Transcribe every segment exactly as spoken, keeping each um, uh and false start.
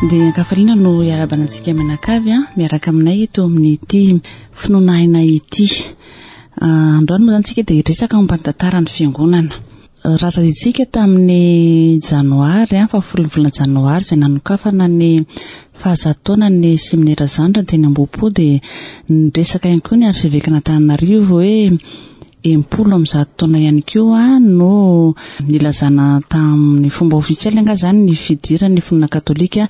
Dia ankafaliana no iarahabana antsika mianakavy a miaraka aminay eto amin'ity Finoana Aina ity. Androany moa zany tsika dia resaka momba ny tantaran'ny fiangonana. Raha tadidintsika, tamin'ny janoary a fahafolon'ny volana janoary izay nanokafana ny fahazato taona ny seminera Zandra teny Ambohipo, dia niresaka ihany koa ny arsevekan'Antananarivo hoe enimpolo amin'ny zato taona ihany koa no nilazana tamin'ny fomba ofisialy anga zany ny fidiran'ny finoana katolika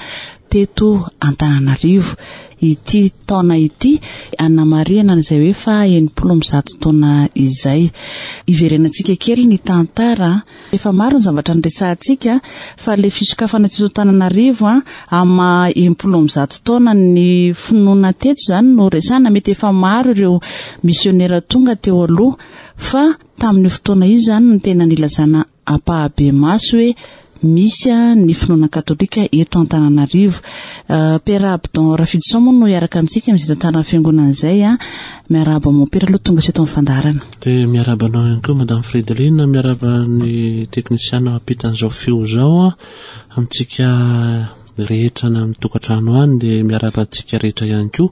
teto Antananarivo. Ity taona ity anamarihana an'izay hoe fa enimpolo amin'ny zato taona izay. Iverenantsika kely ny tantara. Efa maro ny zavatra nyresahantsika, fa le fisokafana teto Antananarivo a ama enimpolo amin'ny zato taona ny finoana teto zany no resana. Mety efa maro ireo misionera tonga teo aloha, fa tamin'io fotoana io zany no tena nilazana ampahibemaso hoe misy a ny finoana katolika eto Antananarivo. Père Abdon Rafidison moa no hiaraka amintsika amin'izay tantaran'ny fiangonana izay. A miarahaba, mompera, aloha tonga sy eto amin'ny fandaharana. Dia miarahaba anao ihany koa, Madame Fredeline, miarahaba ny teknisiana mampitan'izao feo zao a amintsika rehetra na amin'ny tokantrano any, dia miarahaba antsika rehetra ihany koa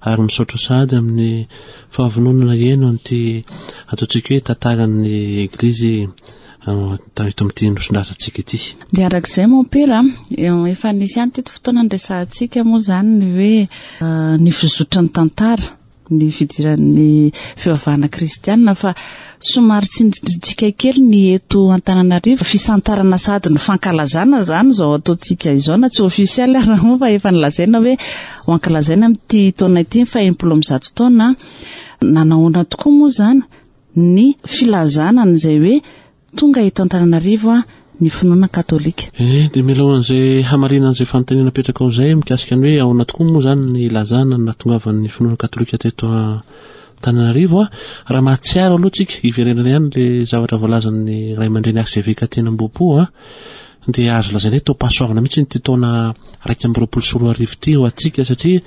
ary misaotra sady amin'ny fahavononana eno an'ity ataontsika hoe tantaran'ny eglizy eto amin'ity nosindrasantsika ity. Dia arak'izay, mompera, efa nisy ihany teto fotoana nyresahantsika moa zany ny hoe ny fizotra ny tantara ny fidiran'ny fivavahana kristianina, fa somary tsindrintsika kely ny eto Antananarivo. Fisantarana sady ny fankalazana zany zao ataontsika izao, na tsy ofisialy ary moa, fa efa nilazaina hoe ho ankalazaina amin'ity taona ity ny fa enimpolo amin'ny zato taona. Nanahoana tokoa moa zany ny filazana an'izay hoe tonga eto Antananarivo a ny finoana katolika? E dia mialohan'izay hamarinan'izay fanontaniana apetraka ao izay mikasika ny hoe ahoana tokoa moa zany ny ilazana ny nahatongavan'ny finoana katolika teto Antananarivo a raha mahatsiaro aloha tsika, iverenana ihany le zavatra voalazan'ny ray aman-dreny archevêque teny Ambohipo a dia azo lazaina hoe taom-pahasoavana mihitsy ny ty taona raika amby roapolo sy roa arivo ty ho antsika, satria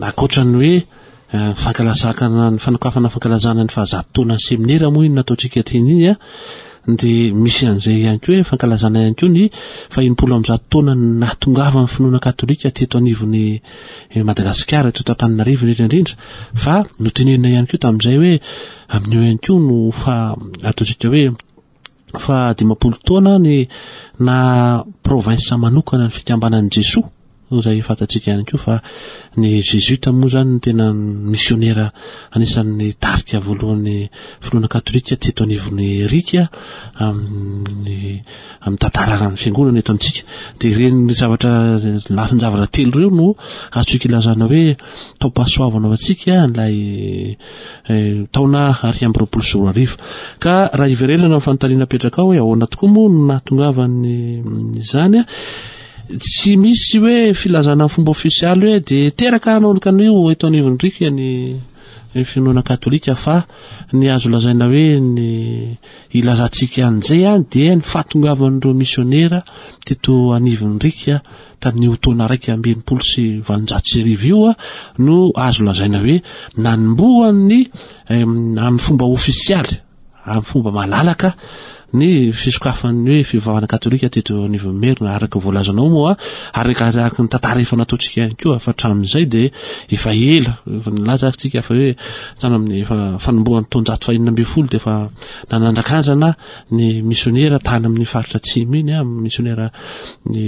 ankoatrany hoe fankalazakana ny fanokafana fankalazana ny fahazato taona ny seminera moa iny nataontsika teny iny a dia misy an'izay ihany koa hoe fankalazana ihany koa ny fa enimpolo amby zato taona nahatongavan'ny finoana katolika teto anivon'ny Madagasikara, teto Antananarivo indrindra indrindra. Fa notenenina ihany koa tamin'izay hoe amin'io ihany koa no fa ataontsika hoe fa dimampolo taona ny na province manokana ny Fikambanan'i Jesoa, zay fantatsika ihany koa fa ny jésuite moa zany ny tena missionnaire anisan'ny tarika voalohan'ny finoana katolika teto anivon'ny rika amin'ny amin'ny tantarana ny fiangonana eto amintsika. De ireny zavatra lafin-javatra telo ireo no azontsika ilazana hoe taom-pahasoavana ho antsika ilay taona ariky amby roapolo sy roa arivo. Ka raha iverenana ny fanontaniana apetraka ao hoe ahoana tokoa moa no nahatongavan'ny zany a tsy misy hoe filazana ny fomba ofisialy hoe de teraka nanoloka an'io eto anivon'ny rika ny finoana katolika, fa ny azo lazaina hoe ny ilazantsika an'izay a dia ny fahatongavan'ireo missionnaire teto anivon'ny rika tamin'io taona raiky amby enimpolo sy valonjato sy arivo io a no azo lazaina hoe nanombohan'ny amin'ny fomba ofisialy, amin'ny fomba malalaka, ny fisokafan'ny hoe fivavahana katolika teto anivon'ny Merina, araka voalazanao moa, araka ny tantara efa nataontsika ihany koa. Fa hatramin'izay de efa ela efa nilaza tsika fa hoe tany amin'ny efa fanombohan'ny taonjato fahenina ambin'ny folo de efa nanandrakandrana ny missionnaire tany amin'ny faritra atsimo iny a missionnaire ny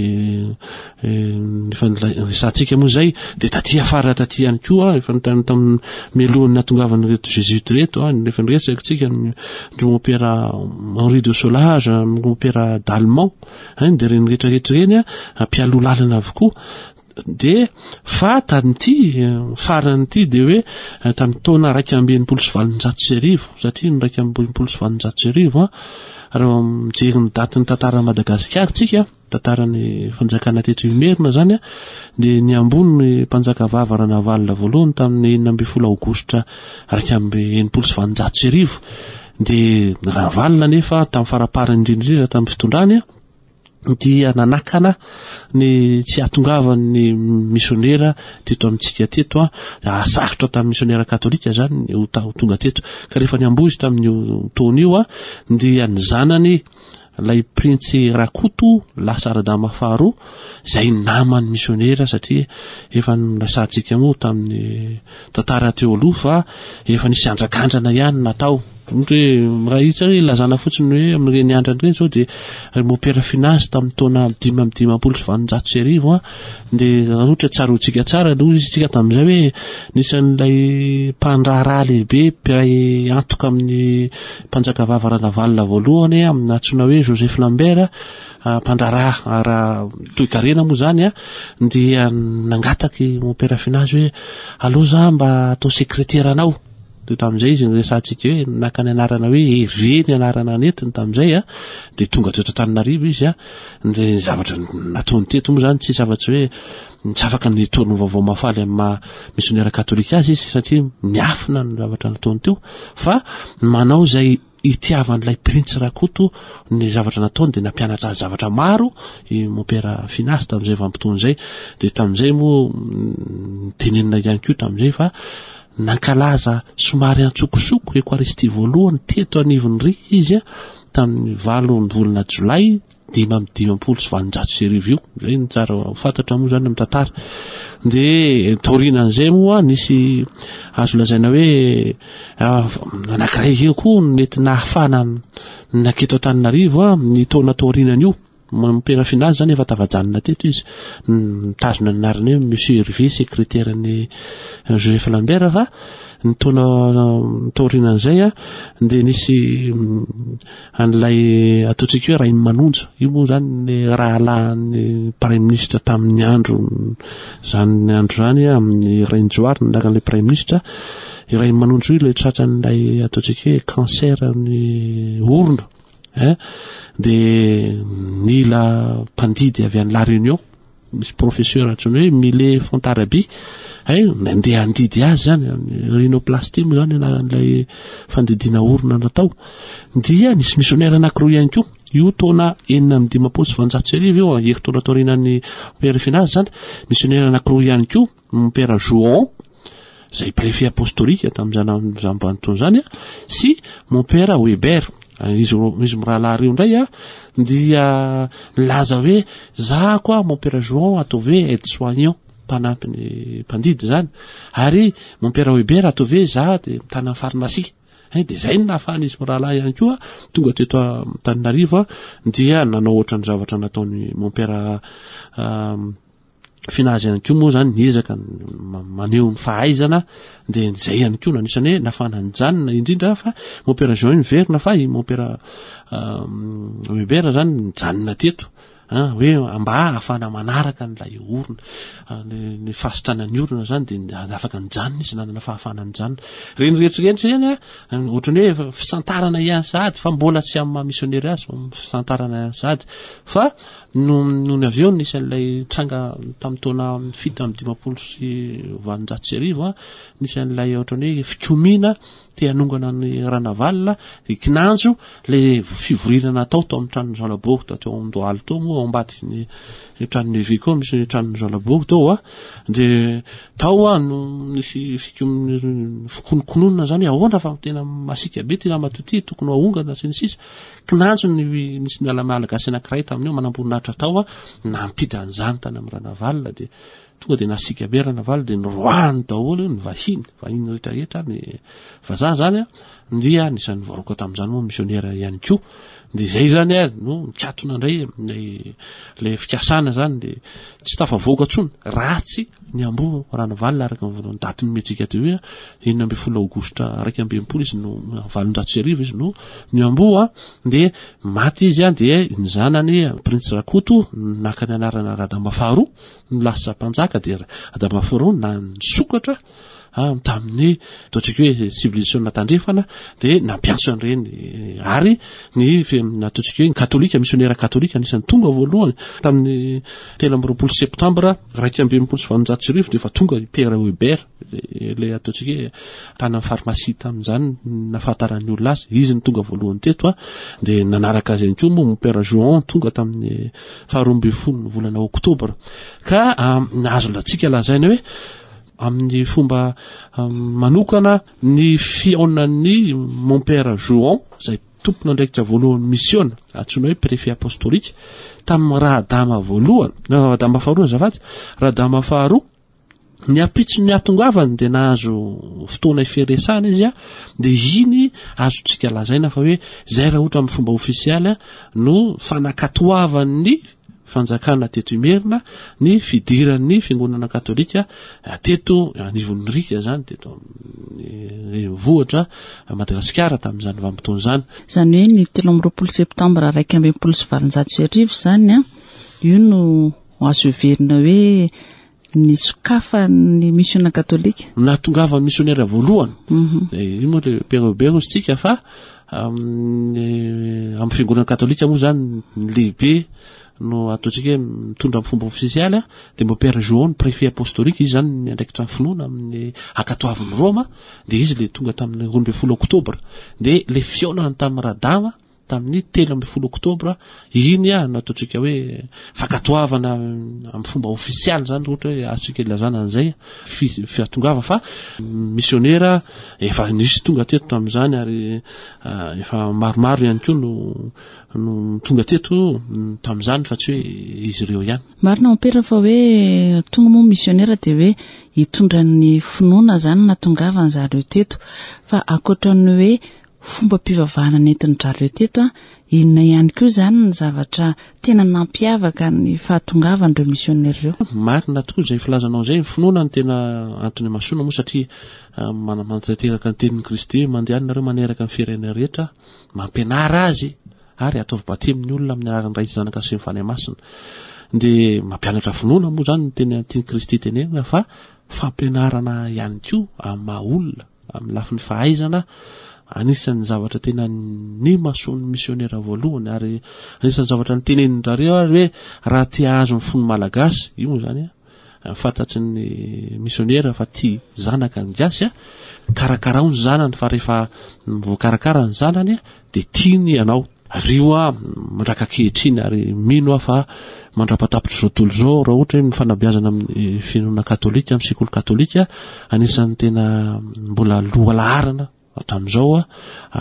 efa resantsika moa zay. De taty afara taty ihany koa, efa nitany tamin'ny mialohan'ny nahatongavan'ny reto jésuite reto a efa niresaka tsika ndro mompera Henri de Solage, mompera Dalmont ein, de reny rehetrarehetra reny a mpialoha lalana avokoa. De fa tamin'ity faranyity de hoe tamin'ny taona raika amby enimpolo sy valonjato sy arivo, satria ny raika amby enimpolo sy valonjato sy arivo a raha mijery ny datin'ny tantara Madagasikara tsika, tantarany fanjakana teto Imerina zany a de ny ambony ny mpanjaka vava Ranavalona voalohany tamin'ny enina amby folo aogositra raika amby enimpolo sy valonjato sy arivo. De Ranavalona nefa tamin'ny faraparany indrindrindrindra tamin'ny fitondrany a dia nanakana ny tsy hahatongavan'ny missionnaire teto amintsika teto a sarotra tamin'ny missionnaire katolika zany ho tonga teto. Ka rehefa ny ambozy tamin'io taona io a dia ny zanany ilay printsy Rakoto lasa Radama faharoa, izay naman'ny misionera, satria efa noresahantsika moa tamin'ny tantara teo aloha fa efa nisy andrakandrana ihany natao. Ohatra hoe raha hita hoe ilazana fotsiny hoe amin'ireny andrana ireny izao dia ry Mompera Finazy tamin'ny taona dimy amby dimampolo sy valonjato sy arivo a, dia raha ohatra tsaroantsika tsara aloha izy tsika tamin'izay hoe nisy an'ilay mpandraharaha lehibe mpiray antoka amin'ny mpanjakavavy Ranavalona voalohany amin'ny antsoina hoe Joseph Lambert, mpandraharaha ara toekarena moa zany a, dia nangataky Mompera Finazy hoe aleo za mba atao sekretera anao. Dia tamin'izay izy niresahantsika hoe naka ny anarana hoe Hervé ny anarana nentiny tamin'izay a, dia tonga teto Antananarivo izy a, dia ny zavatra nataony teto moa zany tsy afa-tsy hoe tsy afaka nitory ny vaovao mahafaly amin'ny maha misionera katolika azy izy satria miafina ny zavatra nataony teo, fa manao izay itiavan'ilay printsy Rakoto ny zavatra nataony, dia nampianatra azy zavatra maro i Mompera Finazy tamin'izay vanim-potoana izay. Dia tamin'izay moa nitenenina ihany koa tamin'izay fa nankalaza somary antsokosoko Ekoaristia voalohany teto anivon'ny Rika izy a, tamin'ny valo ny volana jolay dimy amby dimampolo sy valonjato sy arivo io. Izay no tsara ho fantatra moa zany amin'ny tantara. Dia taorianan'izay moa nisy azo lazaina hoe, ah, anankiray eo koa no mety nahafahana naketo Antananarivo a, ny taona taorianan'io. Mompera Finazy zany efa tafajanona teto izy, mitazona ny anarany hoe Monsieur Hervé, secrétaire ny Joseph Lambert, fa ny taona taorianan'izay a, dia nisy an'ilay ataontsika hoe Rainimanonja io moa zany ny rahalahin'ny premier ministre tamin'ny andro zany andro zany a, amin'ny Rainijoary ny anaran'ilay premier ministre. I Rainimanonja io ilay tratran'ilay ataontsika hoe cancer ny orona, hein, dia nila mpandidy avy any La Réunion, misy professeur antsoina hoe Millet Fontarabie, hein, nandeha handidy azy zany, rhinoplastie moa zany anaran'ilay fandidiana orona natao. Dia nisy missionnaire anankiroa ihany koa, io taona enina amby dimampolo sy valonjato sy arivo io, herintaona taorianan'ny Père Finazy zany, missionnaire anankiroa ihany koa, Mompera Jouan, izay préfet apostolique tamin'izany vanim-potoana izany, sy Mompera Weber. Izy ro-, izy mirahalahy ireo indray a, dia nilaza hoe za koa Mompera Jouan ataovy hoe aide soignant, mpanampy ny mpandidy zany, ary Mompera Weber ataovy hoe za de mitana ny pharmacie. Hein, de zay no nahafahan'izy mirahalahy ihany koa tonga teto Antananarivo a, dia nanao ohatran'ny zavatra nataony Mompera, um, Finazy ihany koa moa zany, niezaka ma-, maneho ny fahaizana, dia zay ihany koa no anisany hoe nahafahana nijanona indrindra fa Mompera Jean niverina, fa i Mompera, um, Weber zany nijanona teto, hein, hoe mba ahafahana manaraka an'ilay orona, ah, ny, ny fahasitranan'ny orona zany, dia afaka nijanona izy, nanana fahafahana nijanona. Ireny rehetra ireny zany a, ohatran'ny hoe fisantarana ihany sahady, fa mbola tsy amin'ny maha missionnaire azy, fa fisantarana ihany sahady. Fa no, nony avy eo nisy an'ilay tranga tamin'ny taona fito amby dimampolo sy valonjato sy arivo a, nisy an'ilay ohatran'ny hoe fikomiana te hanongana ny Ranavalona, dia kinanjo le fivoriana natao tao amin'ny tranon'ny Zalabory tao teo Andohalo tao moa, ao ambadiky ny tranon'ny Eveka ao misy tranon'ny Zalabory tao a, dia tao a no nisy fikom-, fikonokononana zany hoe ahoana fa tena masiaka be ty ramatoa ty, tokony ho ahongana sy ny sisa. Kinanjo ny misy ny Malagasy anankiray tamin'io manamboninahitra tao a, nampita an'izany tany amin'ny Ranavalona, dia tonga dia nasiaka be Ranavalona, dia noroahany daholo ny vahiny, vahiny rehetrarehetra, ny vazaha zany a, dia anisan'ny voaroaka tamin'izany moa missionnaire ihany koa. Dia izay zany a no nikatona indray ilay, ilay fikasana zany, dia tsy tafavoaka intsony ratsy ny amboa Ranavalona araka ny daty nomentsika teo hoe enina ambin'ny folo aogositra iraika amby enimpolo izy no valonjato sy arivo izy no ny amboa, dia maty izy a, dia ny zanany Prince Rakoto naka ny anarana Radama faharoa no lasa mpanjaka, dia Radama faharoa na nisokatra ah, tamin'ny ataontsika hoe civilisation tandrefana, dia nampiantso an'ireny, ary ny fe-, ataontsika hoe ny katolika, missionnaire katolika anisan'ny tonga voalohany tamin'ny telo amby roapolo septambra iraika amby enimpolo sy valonjato sy arivo, dia efa tonga i Père Weber, ilay ataontsika hoe tany amin'ny pharmacie tamin'izany nahafantaran'ny olona azy, izy no tonga voalohany teto a, dia nanaraka azy ihany koa moa Mompera Jouan tonga tamin'ny faharoa ambin'ny folo ny volana oktobra. Ka, ah, nahazo latsika lazaina hoe amin'ny fomba, ah, manokana ny fihaonan'ny Mompera Jouan izay tompon'andraikitra voalohany misiona, antsoina hoe préfet apostolique, tamin'ny Radama voalohany, Radama faharoa azafady, Radama faharoa, ny ampitso ny hatongavany dia nahazo fotoana iferesana izy a, dia iny azontsika lazaina fa hoe zay raha ohatra amin'ny fomba ofisialy no fanakatoavan'ny fanjakana teto Imerina ny fidiran'ny fiangonana katolika teto anivon'ny Rika zany, teto amin'ny renivohitra Madagasikara tamin'izany vanim-potoana izany. Izany hoe ny telo amby roapolo septambra iraika ambin'ny folo sy valonjato sy arivo zany a, io no azo heverina hoe nisokafan'ny misiona katolika. Nahatongavan'ny misionera voalohany. Mhm. Eh, io moa le Père Hubert hozy tsika fa amin'ny, amin'ny fiangonana katolika moa zany ny lehibe no ataontsika hoe mitondra amin'ny fomba ofisialy a, dia mbo Père Joan, préfet apostolique, izy zany miandraikitra ny finoana amin'ny ankatoavin'i Roma, dia izy le tonga tamin'ny roa ambin'ny folo oktobra, dia le fihaonana tamin'ny Radama tamin'ny telo ambin'ny folo oktobra, iny a no ataontsika hoe fankatoavana amin'ny fomba ofisialy zany, ohatra hoe azontsika ilazana an'izay fi-, fiatongava fa misionera efa nisy tonga teto tamin'izany ary, ah, efa maromaro ihany koa no, no tonga teto tamin'izany fa tsy hoe izy ireo ihany. Marina mompera fa hoe tonga moa misionera dia hoe hitondra ny finoana zany nahatongavany zareo teto, fa ankoatra ny hoe fomba-pivavahana nentin-dRareo teto a, inona ihany koa zany ny zavatra tena nampiavaka ny fahatongavan'ireo misionera ireo? Marina tokoa izay filazanao izay, ny finoana no tena antony imasoana moa satria, ah, mana-, manatanteraka ny tenin'i Kristy, mandeha nareo maneraka ny firenena rehetra, mampianara azy ary ataovy batemy ny olona amin'ny anaran'ny Ray sy Zanaka sy ny Fanahy Masina. Dia mampianatra finoana moa zany ny tena tian'i Kristy tenenina fa fampianarana ihany koa amin'ny maha olona, amin'ny lafiny fahaizana, anisan'ny zavatra tena nimasoan'ny misionera voalohany ary anisan'ny zavatra nitenenin-drareo ary hoe raha te hahazo ny fon'ny Malagasy, io moa zany a, fantatry ny misionera fa tia zanaka ny gasy a, karakarao ny zanany fa rehefa voakarakara ny zanany a, dia tiany ianao. Ary io a, mandraka ankehitriny ary mino aho fa mandra-patapitra izao tontolo izao, raha ohatra hoe ny fanabeazana amin'ny finoana katolika, amin'ny sekoly katolika, anisan'ny tena mbola lohalaharana hatramin'izao a,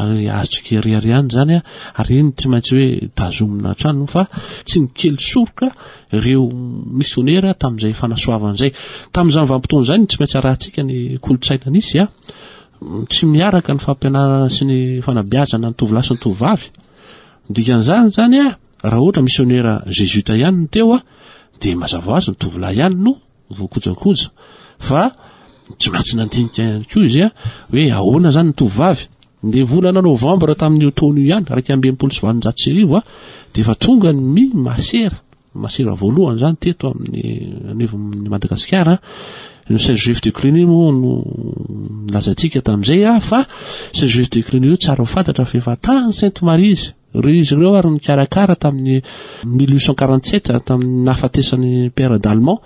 ary azontsika irery ihany zany a, ary iny tsy maintsy hoe tazomina hatrany fa tsy nikely soroka ireo misionera tamin'izay fanasoavana izay. Tamin'izany vanim-potoana izany tsy maintsy arahantsika ny kolontsaina nisy a, tsy miaraka ny fampianarana sy ny fanabeazana ny tovolahy sy ny tovovavy. Dikan'izany zany a, raha ohatra misionera jésuite ihany no teo a, dia mazava ho azy ny tovolahy ihany no voakojakoja, fa tsy maintsy nandinika ihany koa izy a, hoe ahoana zany ny tovovavy. Ny volana novambra tamin'io taona io ihany, iraika amby enimpolo sy valonjato sy arivo a, dia efa tonga ny masera, masera voalohany zany teto amin'ny anivon'ny Madagasikara. Ny Saint Joseph de Cluny moa no nilazantsika tamin'izay a, fa Saint Joseph de Cluny io tsara ho fantatra fa efa tany Sainte Marie izy. Ireo izy ireo ary nikarakara tamin'ny mille huit cent quarante-sept, tamin'ny nahafatesan'ny Père d'Allemand.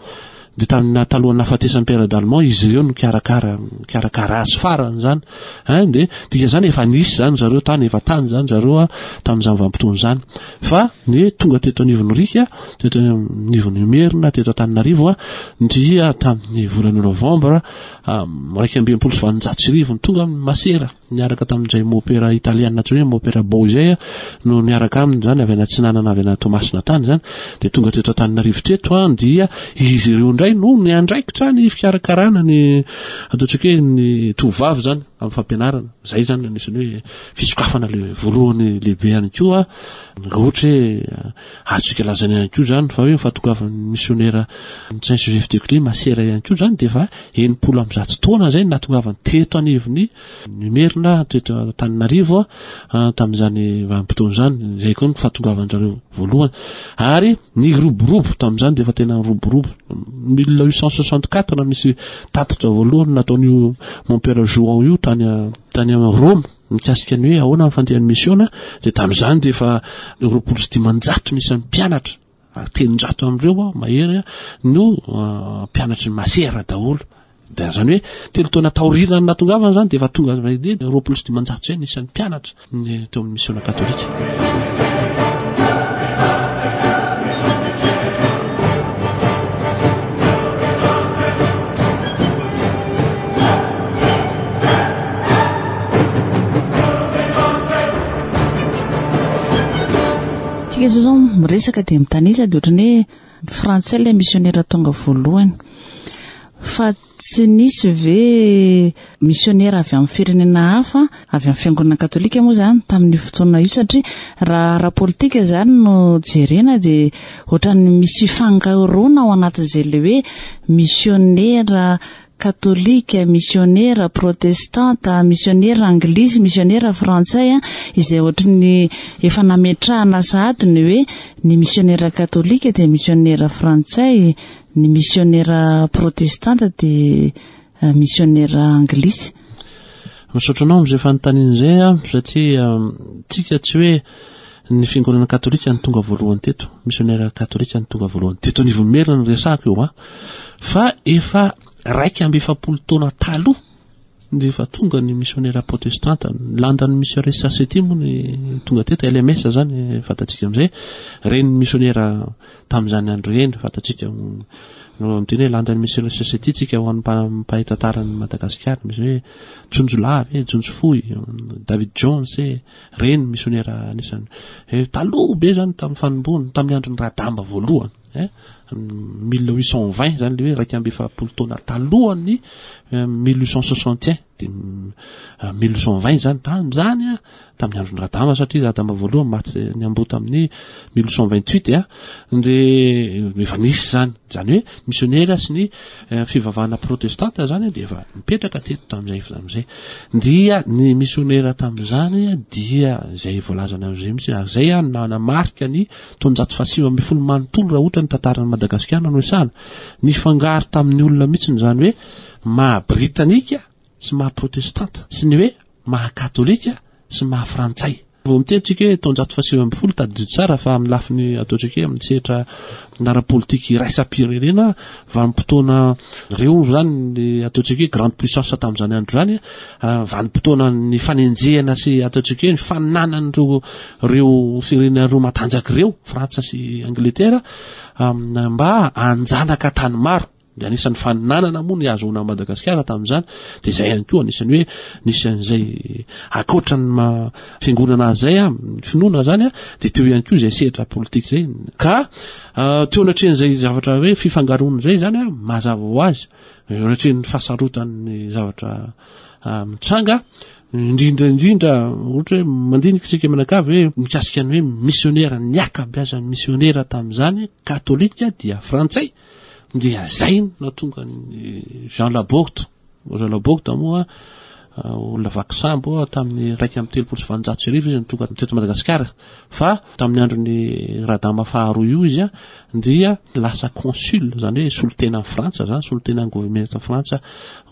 Dia tamin'ny talohan'ny nahafatesan'ny Père d'Allemand izy ireo no nikarakara, nikarakara azy farany zany. Hein, dia dika zany efa nisy zany zareo tany, efa tany zany zareo a, tamin'izany vanim-potoana izany. Fa ny tonga teto anivon'ny Rika, teto anivon'ny Imerina, teto Antananarivo a, dia tamin'ny volana novambra, am, iraika amby enimpolo sy valonjato sy arivo no tonga ny masera niaraka tamin'izay mopera italiana antsoina hoe mopera Bo izay a, no niaraka aminy zany avy any Atsinanana, avy any Toamasina tany zany. Dia tonga teto Antananarivo teto a, dia izy ireo indray no niandraikitra ny fikarakarana ny ataontsika hoe ny tovovavy zany amin'ny fampianarana. Zay zany anisan'ny hoe fisokafana le voalohany lehibe ihany koa. Raha ohatra hoe azontsika lazaina ihany koa zany fa hoe ny fahatongavan'ny misionera Saint Joseph de Cluny masera ihany koa zany dia efa enimpolo amby zato taona zay nahatongavany teto anivon'ny Imerina, teto Antananarivo a, tamin'izany vanim-potoana izany. Izay koa ny fahatongavan-jareo voalohany. Ary niroborobo tamin'izany dia efa tena niroborobo. mille huit cent soixante-quatre misy tatitra voalohany nataon'io mon père Jouan io tany, tany Roma mikasika ny hoe ahoana ny fandehan'ny misiona. Dia tamin'izany dia efa roapolo sy dimanjato ny isan'ny mpianatra, ary telonjato amin'ireo a, mahery a, no, ah, mpianatry ny masera daholo. Dia zany hoe telo taona taoriana ny nahatongavana zany dia efa tonga azy dia roapolo sy dimanjato izay ny isan'ny mpianatra ny teo amin'ny misiona katolika. Tsika zao zao miresaka dia mitanisa dia ohatrany hoe frantsay ilay misionera tonga voalohany, fa tsy nisy ve misionera avy amin'ny firenena hafa, avy amin'ny fiangonana katolika moa zany tamin'io fotoana io? Satria raha ara-politika zany no jerena dia ohatran'ny misy fangaroana ao anatin'izay le hoe misionera katolika, misionera protestanta, misionera anglisy, misionera frantsay, a izay ohatran'ny efa nametrahana sahady ny hoe ny misionera katolika dia misionera frantsay, ny misionera protestanta dia misionera anglisy. Misaotra anao am'izay fanontaniana izay a, satria tsika tsy hoe ny fiangonana katolika ny tonga voalohany teto, misionera katolika ny tonga voalohany teto anivon'ny Merina ny resahako eo a, fa efa raika amby efapolo taona taloha de efa tonga ny misionera protestanta. London Missionary Society moa ny tonga teto, L M S zany fantatsika am'izay, reny misionera tamin'izany andro reny fantatsika no miteny hoe London Missionary Society tsika. Ho an'ny mpahay tantarany Madagasikara, misy hoe Jonjolavy e, Jonjofoy, David Jones e, reny misionera anisany taloha be zany tamin'ny fanombony, tamin'ny androny Radama voalohany e, mille huit cent vingt zany, le hoe raika amby efapolo taona talohany mille huit cent soixante un, de mille huit cent vingt zany tam'zany a, tamin'ny androny Radama, satria Radama voalohany maty ny ambo tamin'ny mille huit cent vingt huit a, de efa nisy zany zany hoe misionera sy ny fivavahana protestanta zany de efa mipetraka teto tam'izay am'izay. Dia ny misionera tam'izany dia zay voalazana am'izay mihitsy, ary zay a nanamarika ny taonjato fahasivy amby folo manontolo. Raha ohatra ny tantaran'ny Madagasikara no isana, nifangaro tamin'ny olona mihitsy zany hoe maha britanika sy maha protestanta sy ny hoe maha katolika sy maha frantsay. Vao miteny tsika hoe taonjato fahasivy amby folo, tadidio tsara fa amin'ny lafiny ataontsika hoe amin'ny sehatra ara-politika iraisam-pirenena, vanim-potoana reo zany ny ataontsika hoe grande puissance tamin'izany andro zany, vanim-potoana ny fanenjehana sy ataontsika hoe ny fananan'ireo reo firenena roa matanjaka ireo, Frantsa sy Angleterre, mba anjanaka tany maro. De anisan'ny fananana moa ny ahazoana Madagasikara tamin'izany, de zay ihany koa anisan'ny hoe nisy an'izay akoatra ny ma fiangonana azy zay a, finoana zany a, de teo ihany koa zay sehatra politika zay. Ka teo anatrehan'izay zavatra hoe fifangaroana zay zany a, mazava ho azy, eo anatrehan'ny fahasarotan'ny zavatra mitranga, indrindra indrindra ohatra hoe mandinika tsika manakavy hoe mikasika ny hoe missionnaire, ny akabiazany missionnaire tamin'izany katolika dia frantsay, dia zay na tonga ny Jean Laborde. Jean Laborde moa olona vakisambo tamin'ny raika amby telopolo sy valonjato sy arivo izy ny tonga teto Madagasikara, fa tamin'ny androny Radama faharoa io izy a dia lasa consul, zany hoe solotena ny Frantsa zany, solotena ny gouvernementa Frantsa,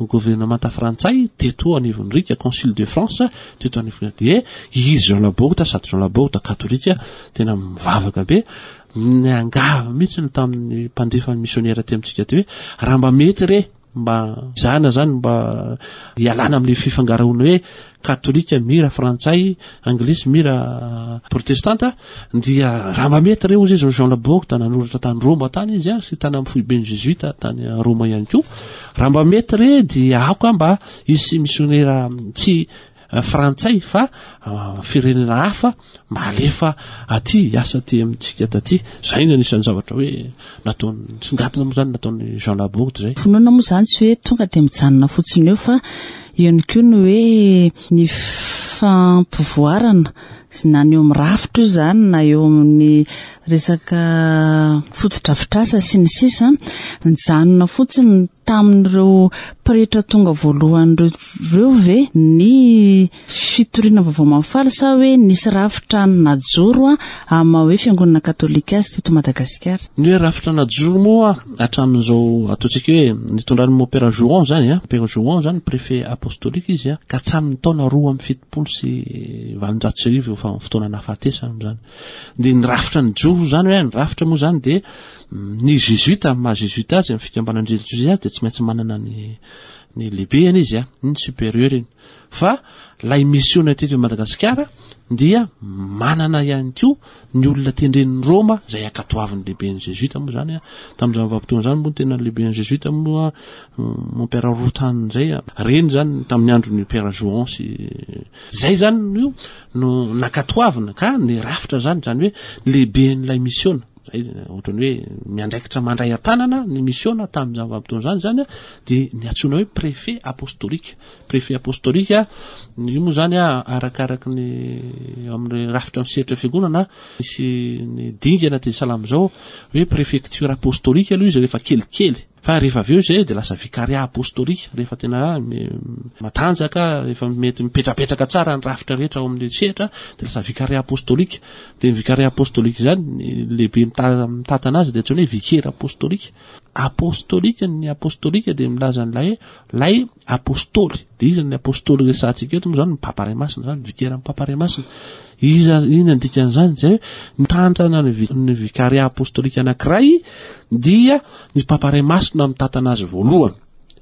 gouvernementa frantsay teto anivon'ny rika, consul de France teto anivony. De izy Jean Laborde, sady Jean Laborde katolika tena mivavaka be, niangavy mihitsy ny tamin'ny mpandefa ny missionnaire ty amintsika ty hoe raha mba mety re mba zana zany mba ialana am'le fifangaroana hoe katolika mira frantsay, anglisy mira protestanta, dia raha mba mety re ozy izy. Jean Laborde nanoratra tany Roma tany izy a, sy tany amy foiben'ny jésuite tany Roma ihany koa, raha mba mety re dia aoka mba isy missionnaire tsy frantsay fa firenena hafa mba alefa aty hiasa aty amintsika taty. Zay ny anisan'ny zavatra hoe nataony singatina moa zany nataony Jean Laborde zay. Finoana moa zany tsy hoe tonga de mijanona fotsiny eo, fa eo ihany koa ny hoe ny fampivoarana na ny eo amin'ny rafitra io zany, na eo amin'ny resaka fotodrafitrasa sy ny sisa. Mijanona fotsiny tamin'ireo pretra tonga voalohan'ireo reo ve ny fitoriana vaovao mahafaly, sa hoe nisy rafitra najoro a ama hoe fiangonana katolika azy teto Madagasikara? Ny hoe rafitra najoro moa hatramin'izao ataontsika hoe nitondran'ny mompera Jouan zany a, père Jouan zany préfet apostolique izy a, ka hatramin'ny taona roa amby fitopolo sy valonjato sy arivo fa fotoana nahafatesany zany, de ny rafitra nijoro zany hoe ny rafitra moa zany de ny jésuite, maha jésuite azy, amy fikambanan-drelijiozy azy, de tsy maintsy manana ny ny lehibeny izy a, ny supérieur iny. Fa lay misiona teto Madagasikara dia manana ihany koa ny olona tendren'ny Roma zay ankatoavin'ny lehiben'ny Jésuite moa zany a. Tamin'izany vanim-potoana zany moa tena lehiben'ny Jésuite moa mon père Routane zay reny zany tamin'ny andron'ny père Jouan sy zay zany io no nankatoavina. Ka ny rafitra zany, zany hoe lehiben'ilay misiona zay ohatrany hoe miandraikitra mandray an-tanana ny misiona tamin'izany vanim-potoana zany zany a, de ny antsoina hoe préfet apostolique. Préfet apostolique io moa zany a, arakaraky ny amin'ny rafitra misehatra fiangonana misy ny dingana de salama zao hoe préfecture apostolique aloha izy rehefa kelikely, fa rehefa avy eo zay de lasa vicariat apostolique rehefa tena matanjaka, efa mety mipetrapetraka tsara ny rafitra rehetra ao amin'ny sehatra, de lasa vicariat apostolique. De ny vicariat apostolique zany, ny lehibe mita- mitantana azy de antsoina hoe vicaire apostolique. Apostolique, ny apostolique de milaza an'ilay lay apôstôly. De izy ny apôstôly resahantsika eto moa zany ny Papa Ray Masina zany, vicaire amin'ny Papa Ray Masina iza. Iny andikan'izany zay mitantana ny vi- ny vicariat apostolique anankiray dia ny Papa Ray Masina mitantana azy voalohany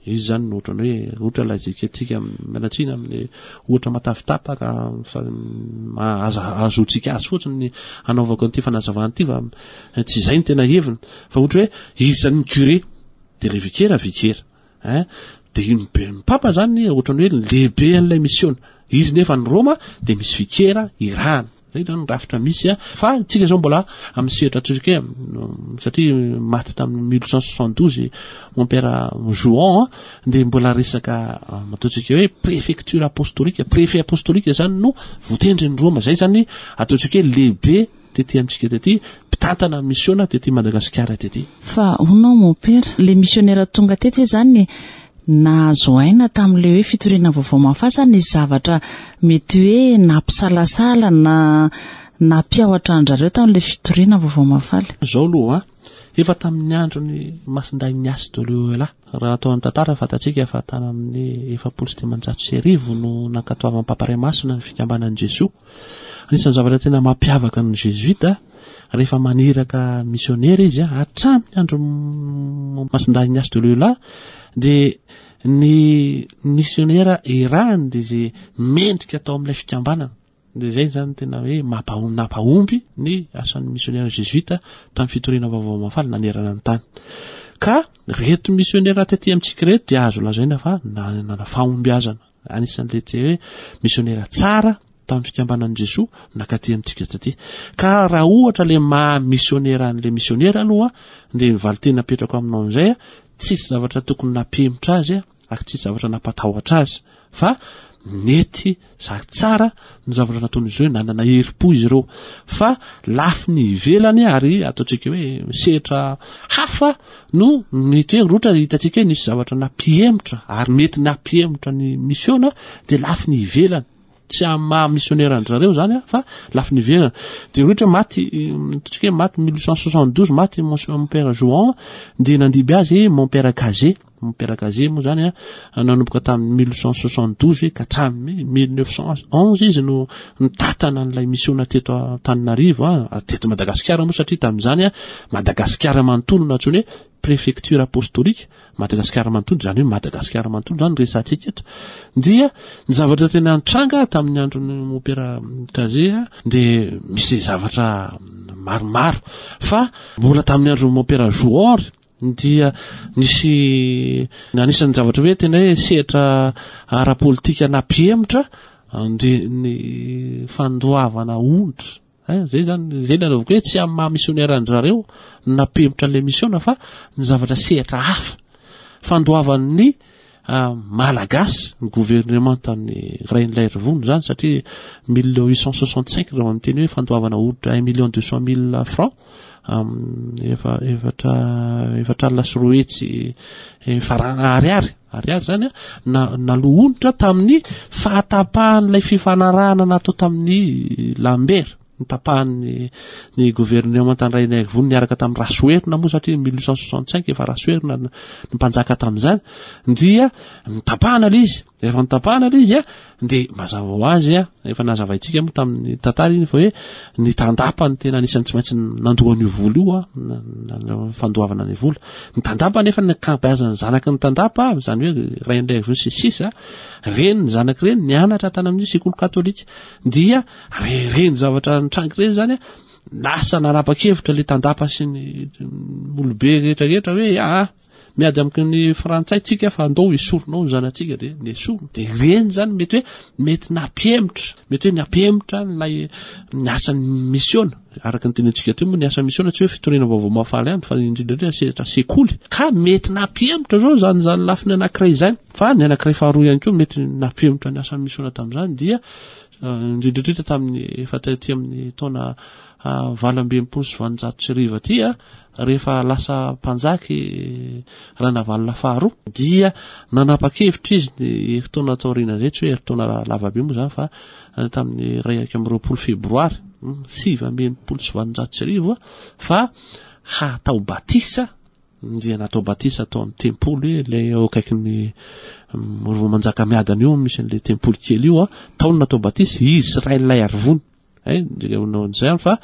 izy zany no ohatrany hoe ohatra lazika atsika mialatsiny amin'ny ohatra matavitapaka fa aza azotsika azy fotsiny ny anaovako an'ity fanazavana ity, fa tsy izay ny tena heviny, fa ohatra hoe izy zany ny curé de le vicaire vicaire hein, de iny be ny papa zany ohatrany hoe lehibe an'ilay misiona izy, nefa ny Roma de misy vicaire irahana. Zay zany rafitra misy a. Fa tsika zao mbola amin'ny sehatra atsika hoe satria maty tamin'ny mille huit cent soixante douze mon père Jouan, de mbola resaka ataontsika hoe préfecture apostolique, préfet apostolique zany no voatendry ny Roma. Zay zany ataontsika hoe lehibe tety amintsika tety, mpitantana misiona tety Madagasikara tety. Fa honao mon père, le missionnaire tonga tety hoe zany nahazo aina tamin'le hoe fitoriana vaovao mahafaly, sa ny zavatra mety hoe nampisalasala na nampiahotra andrareo tamin'le fitoriana vaovao mahafaly? Zao aloha a, efa tamin'ny androny Masindahy Ignace de Loyola, raha atao amin'ny tantara fantatsika fa tany amin'ny efapolo sy dimanjato sy arivo no nankatoavan'ny Papa Ray Masina ny fikambanan'i Jesoa. Anisan'ny zavatra tena mampiavaka ny Jésuite rehefa maniraka missionnaire izy a, hatramin'ny andro Masindahy Ignace de Loyola, de ny missionnaire irahany de zay mendrika atao amin'ilay fikambanana. De zay zany tena hoe mampa- nampahomby ny asan'ny missionnaire jésuite tamin'ny fitoriana vaovao mahafaly nanerana ny tany. Ka reto missionnaire taty amintsika reto de azo lazaina fa nanana fahombiazana, anisan'le tse hoe missionnaire tsara tamin'ny fikambanan'i Jesoa nakaty amintsika taty. Ka raha ohatra le maha missionnaire an'le missionnaire aloha, de valiteny apetrako aminao amizay a, tsisy zavatra tokony nampihemotra azy a, ary tsisy zavatra nampatahotra azy, fa nety sary tsara ny zavatra nataon'izy ireo, nanana herim-po izy ireo. Fa lafiny ivelany ary ataontsika hoe sehatra hafa no mety hoe rotra hitantsika hoe nisy zavatra nampihemotra, ary mety nampihemotra ny misiona de lafiny ivelany, tsy amin'ny maha missionnaire an-drareo zany a, fa lafiny ivelany. De ohatra maty, ataontsika hoe maty mille huit cent soixante douze, maty mon père Jouan, de nandiby azy mon père Cazet. Mon père Cazet moa zany a, nanomboka tamin'ny mille huit cent soixante douze ka hatramin'ny mille neuf cent onze izy no nitatana an'ilay misiona teto Antananarivo a, teto Madagasikara moa, satria tamin'izany a Madagasikara manontolo no antsoiny hoe préfecture apostolique Madagasikara manontolo. Zany hoe Madagasikara manontolo zany resantsika eto. Dia ny zavatra tena nitranga tamin'ny andron'ny mon père Cazet a, de misy zavatra maromaro, fa mbola tamin'ny andron'ny mon père Jouan dia nisy anisan'ny zavatra hoe tena hoe sehatra ara-politika nampihemotra de ny fandoavana onitra. Zay zany zay nanaovako hoe tsy amin'ny maha missionnaire an-drareo no nampihemotra an'le misiona, fa ny zavatra sehatra hafa, fandoavan'ny malagasy ny gouvernement tamin'ny Rainilaiarivony zany, satria mille huit cent soixante cinq raha miteny hoe fandoavana onitra un million deux cent mille francs, efa efatra efatra alina sy roa hetsy farana ariary ariary zany a, na naloa onitra tamin'ny fahatapahan'ilay fifanarahana natao tamin'ny Lambert, nitapahan'ny ny gouvernement tany Rainilaiarivony niaraka tamin'ny Rasoherina moa, satria mille huit cent soixante cinq efa Rasoherina ny mpanjaka tamin'izany, dia nitapahana le izy. Rehefa notapahana ilay izy a, dia mazava ho azy a, efa nazavaintsika moa tamin'ny tantara iny fa hoe ny tandapa no tena anisan'ny tsy maintsy nandoa an'io vola io a, fandoavana ny vola. Ny tandapa nefa ny ankabeazan'ny zanaky ny tandapa, izany hoe Rainilaiarivony sy ny sisa, ireny ny zanaky ireny nianatra tany amin'ny sekoly katolika. Dia ireny zavatra nitranga ireny izany a, lasa nanapa-kevitra ilay tandapa sy ny olobe rehetra rehetra hoe aa miady amiko ny frantsay tsika fa andao esorina ao ny zanatsika, dia nesorina. Dia ireny izany mety hoe mety nampihemotra, mety hoe nampihemotra ilay ny asan'ny misiona. Araka ny tenintsika teo moa ny asan'ny misiona tsy hoe fitoriana vaovao mahafaly ihany fa indrindra indrindra sehatra sekoly, ka mety nampihemotra zao izany izany lafiny anankiray izany. Fa ny anankiray faharoa ihany koa mety nampihemotra ny asan'ny misiona tamin'izany dia indrindra indrindra tamin'ny efa taty amin'ny taona valo amby enimpolo sy valonjato sy arivo aty a, rehefa lasa mpanjaka i Ranavalona faharoa dia nanapa-kevitra izy ny herintaona taoriana izay, tsy hoe herintaona lava be moa izany fa tamin'ny iray amby roapolo febroary sivy amby enimpolo sy valonjato sy arivo fa hatao batisa, dia natao batisa tao amin'ny tempoly ilay eo akaikin'ny Rova Manjakamiadana io misy an'ilay tempoly kely io a, tao no natao batisa izy sy Rainilaiarivony. Eh, izay fa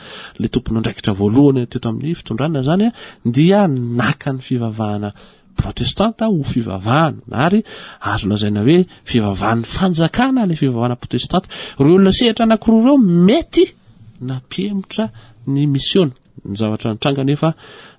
le tompon'andraikitra voalohany teto amin'ny fitondrana zany a, dia naka ny fivavahana protestanta ho fivavahana, ary azo lazaina hoe fivavahan'ny fanjakana ilay fivavahana protestanta. Ireo olona sehatra anankiroa ireo mety nampihemotra ny misiona. Ny zavatra nitranga nefa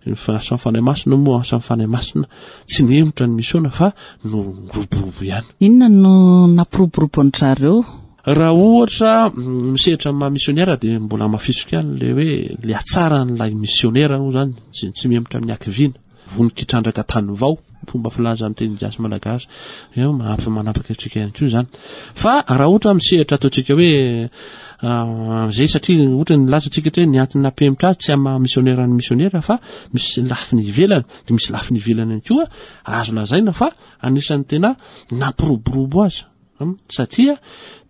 ny asan'ny Fanahy Masina moa, asan'ny Fanahy Masina tsy nihemotra ny misiona fa no roborobo ihany. Inona no nampiroborobo an-dry zareo? Raha ohatra misehatra maha missionnaire dia mbola mafisiko ihany le hoe le hatsaran'ilay missionnaire moa zany tsy, tsy mihemotra amin'ny hakiviana, vonon-kitrandraka tany vao, fomba filaza amin'ny teny gasy malagasy eo mahafa manapaka antsika ihany koa zany. Fa raha ohatra misehatra ataontsika hoe zay, satria ohatra ny laza antsika hoe ny antony nampihemotra azy tsy amin'ny maha missionnaire ny missionnaire fa misy lafiny ivelany, dia misy lafiny ivelany ihany koa azo lazaina fa anisan'ny tena nampiroborobo azy. Satria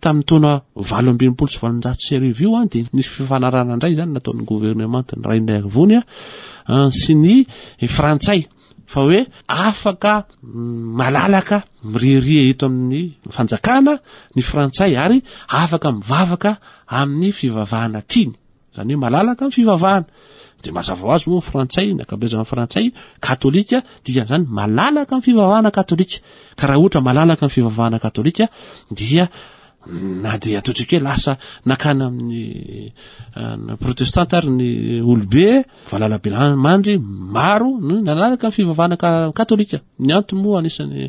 tamin'ny taona valo amby enimpolo sy valonjato sy arivo io a, dia nisy fifanarahana indray zany nataon'ny gouvernement ny Rainilaiarivony a sy ny frantsay fa hoe afaka malalaka mireria eto amin'ny fanjakana ny frantsay ary afaka mivavaka amin'ny fivavahana tiany, zany hoe malalaka amin'ny fivavahana. Dia mazava ho azy moa frantsay, ny ankabeazan'ny frantsay katolika, dikan'izany malalaka amin'ny fivavahana katolika. Ka raha ohatra malalaka amin'ny fivavahana katolika dia na dia ataontsika hoe lasa nakana amin'ny protestanta ary ny olobe valalabe mandry maro no nalalaka amin'ny fivavahana katolika. Ny antony moa anisan'ny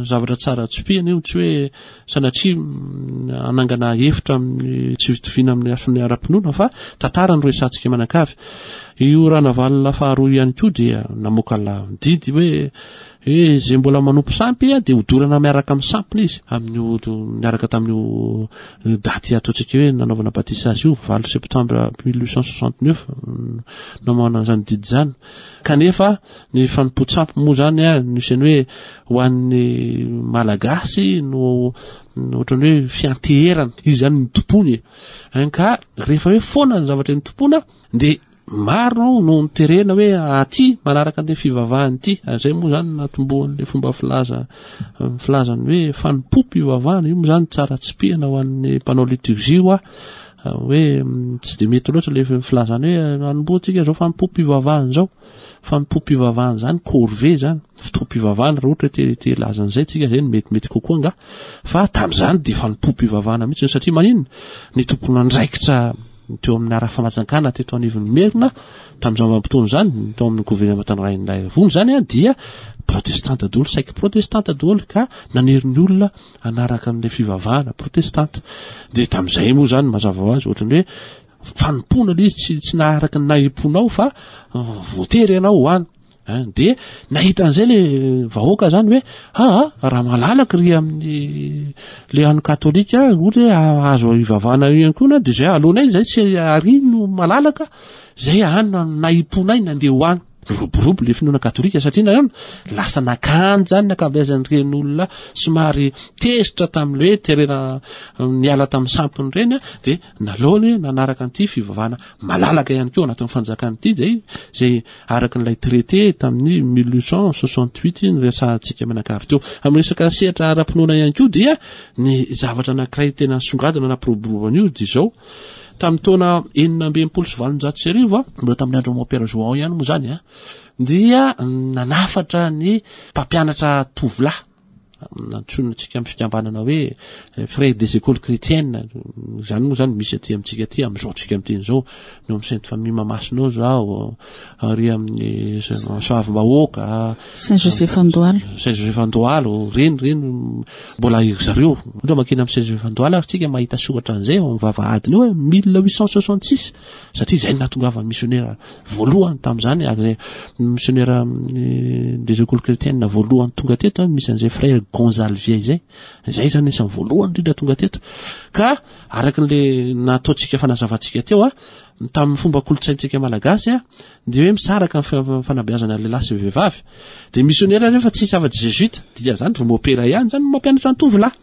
zavatra tsara tsipihana io, tsy hoe sanatria anangana hevitra amin'ny tsy fitoviana amin'ny lafiny ara-pinoana fa tantara no resahantsika manakavy. Io Ranavalona faharoa ihany koa dia namoaka la didy hoe hoe zay mbola manompo sampy a dia hodorana miaraka amin'ny sampiny izy, amin'io miaraka tamin'io daty ataontsika hoe nanaovana batisa azy io, valo septembre mille huit cent soixante neuf namoahana an'izany didy zany. Kanefa ny fanompoan-tsampy moa zany a nisy ny hoe ho an'ny malagasy no ohatrany hoe fianteherana izy zany ny tompony e, ka rehefa hoe foana ny zavatra ny tompona dia maro no niterena hoe aty manaraka an'ilay fivavahana ity. Zay moa zany natombohan'ilay fomba filaza filazany hoe fanompoam-pivavahana io moa zany tsara tsipihana ho an'ny mpanao liturgie io a, hoe tsy de mety loatra le filazany hoe anombohantsika zao fanompoam-pivavahana zao. Fanompoam-pivavahana zany corvée zany fotoam-pivavahana, raha ohatra hoe te te lazan'izay tsika zay no metimety kokoa nga, fa tamin'izany de fanompoam-pivavahana mihitsy. Satria maninona ny tompon'andraikitra teo amin'ny ara-famajankana teto anivon'ny Merina tamin'izany vanim-potoana izany, tao amin'ny gouvernement Rainilaiarivony zany a, dia protestanta daholo, saiky protestanta daholo, ka nanery ny olona hanaraka an'ilay fivavahana protestanta. Dia tamin'izay moa zany mazava ho azy ohatrany hoe fanompoana ilay izy, tsy tsy naharaka ny nahim-ponao fa voatery ianao ho any. Dia nahita an'izay le vahoaka zany hoe aa raha malalaka ry amin'ny le ano katolika ohatra hoe azo ivavahana io ihany koa na dia zay alohanay zay tsy ary no malalaka zay any nahim-ponay nandeha ho any. Niroborobo le finoana katolika satria nahoana? Lasa nakany zany ny ankabeazan'ireny olona somary tezitra tamin'le hoe terena niala tamin'ny sampiny ireny a, dia naleony nanaraka an'ity fivavahana malalaka ihany koa anatin'ny fanjakana ity, zay zay araka n'ilay traité tamin'ny mille huit cent soixante-huit niresahantsika mianakavy teo. Amin'ny resaka sehatra ara-pinoana ihany koa dia ny zavatra anankiray tena nisongadina nampiroborobo an'io dia izao. Tamin'ny taona enina amby enimpolo sy valonjato sy arivo, mbola tamin'ny andro Mompera João ihany moa zany a, dia nanafatra ny mpampianatra tovolahy nantsoina antsika amin'ny fikambanana hoe frères des écoles chrétiennes. Zany moa zany misy aty amintsika aty amin'izao tsika miteny izao, ny ao amin'ny Sainte Famille Mahamasina ao zao, ary amin'ny Soavimbahoaka, Saint Joseph Andohalo, Saint Joseph Andohalo, reny reny mbola zareo. Ohatra makena amin'ny Saint Joseph Andohalo ary tsika mahita soratra an'izay ao amin'ny vavahadiny eo hoe mille huit cent soixante-six, satria izay no nahatongavan'ny missionnaire voalohany tamin'izany, ary izay missionnaire des écoles chrétiennes voalohany tonga teto, misy an'izay frère Gonzalvier izay. Izay zany isan'ny voalohany indrindra tonga teto. Ka araka n'le nataontsika fanazavantsika teo a, tamin'ny fomba kolontsaintsika malagasy a, dia hoe misaraka ny fa-, fanabeazana lehilahy sy vehivavy. Dia missionnaire rehefa tsisy afa-tsy jésuite, dikan'izany ry mopera ihany zany no mampianatra ny tovolahy.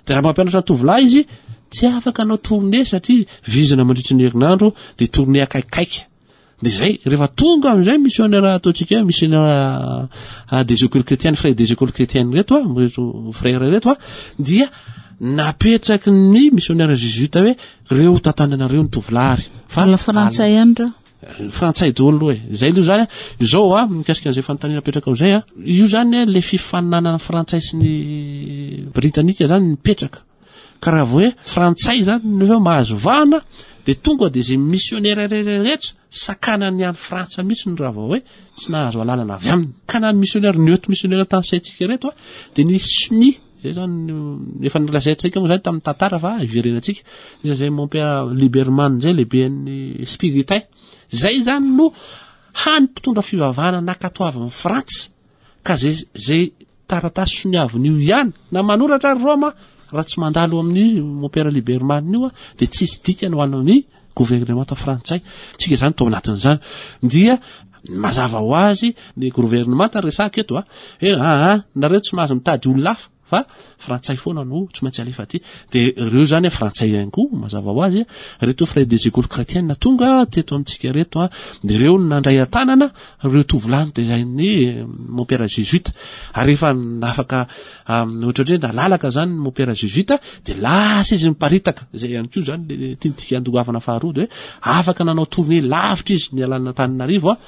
Dia raha mampianatra ny tovolahy izy, tsy afaka hanao tournée satria vizana mandritry ny herinandro, dia tournée akaikikaiky. Dia zay, rehefa tonga amin'izay missionnaire ataontsika hoe missionnaire des écoles chrétiennes, frères des écoles chrétiennes reto a, reto frères reto a, dia napetraky ny missionnaire jésuite hoe reo tantananareo ny tovolahy. Fa Mbola frantsay ihany reo. Frantsay daholo aloha e. Zay aloha zany a, izao a, mikasika an'izay fanontaniana napetraka ao izay a, io zany a, le fifaninanana frantsay sy ny britanika zany nipetraka. Ka raha vao hoe frantsay zany nefa mahazo vahana, dia tonga dia izay missionnaire rehetra sakanany any Frantsa mihitsy ny raha vao hoe tsy nahazo alalana avy aminy. Ka na missionnaire neutre missionnaire tamin'ny saintsika reto a, dia ny sonia zay zany efa nolazaintsika moa zany tamin'ny tantara fa iverenantsika. Iza zay mon père Liberman zay lehiben'ny spiritain. Zay zany no hany mpitondra fivavahana nankatoavin'ny Frantsa. Ka zay, zay taratasy soniavin'io ihany na manoratra ary Roma raha tsy mandalo amin'ny mon père Liberman io a, dia tsisy dikany ho an'ny gouvernement frantsay. Tsika zany tao anatin'izany. Dia mazava ho azy ny gouvernement resaka eto a, hoe ah, ah, nareo tsy mahazo mitady olona hafa fa frantsay foana no tsy maintsy alefa aty. Dia ireo zany frantsay ihany koa mazava ho azy, reto frères des écoles chrétiennes tonga teto amintsika reto a, dia ireo no nandray an-tanana ireo tovolahy nitezain'ny mon père jésuite. Ary rehefa nafaka, am, ohatra hoe nalalaka zany mon père jésuite, dia lasa izy miparitaka. Izay ihany koa zany le tiantsika andoavana faharoa, dia hoe afaka nanao tournée lavitra izy nialana Antananarivo a.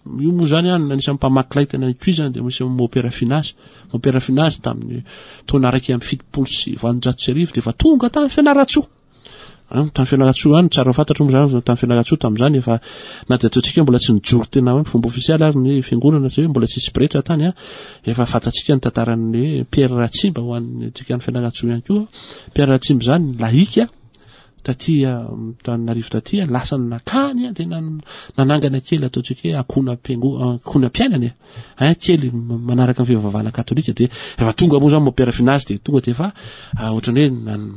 Io moa zany a, anisan'ny mpamaky lay tena nikoizana, dia misy mon père Finaz. Mon père Finaz tamin'ny taona iraika amby fitopolo sy valonjato sy arivo dia efa tonga tany Fianarantsoa. An, tany Fianarantsoa any, tsara fantatra moa zany, tany Fianarantsoa tamin'izany efa na dia ataontsika mbola tsy nijoro tena hoe fomba ofisialy ary ny fiangonana, tsy hoe mbola tsisy pretra tany a, efa fantatsika ny tantaran'ny Pierre Ratsimba ho an'ny antsika any Fianarantsoa ihany koa. Pierre Ratsimba zany laïka taty Antananarivo taty, lasa nakany a, dia nan-, nanangana kely ataontsika hoe ankohonam-piango-, ankohonam-piainana e. Hein, kely manaraka ny fivavahana katolika. Dia rehefa tonga moa zany mon père Finaz dia tonga dia efa, ah, ohatran'ny hoe nan-,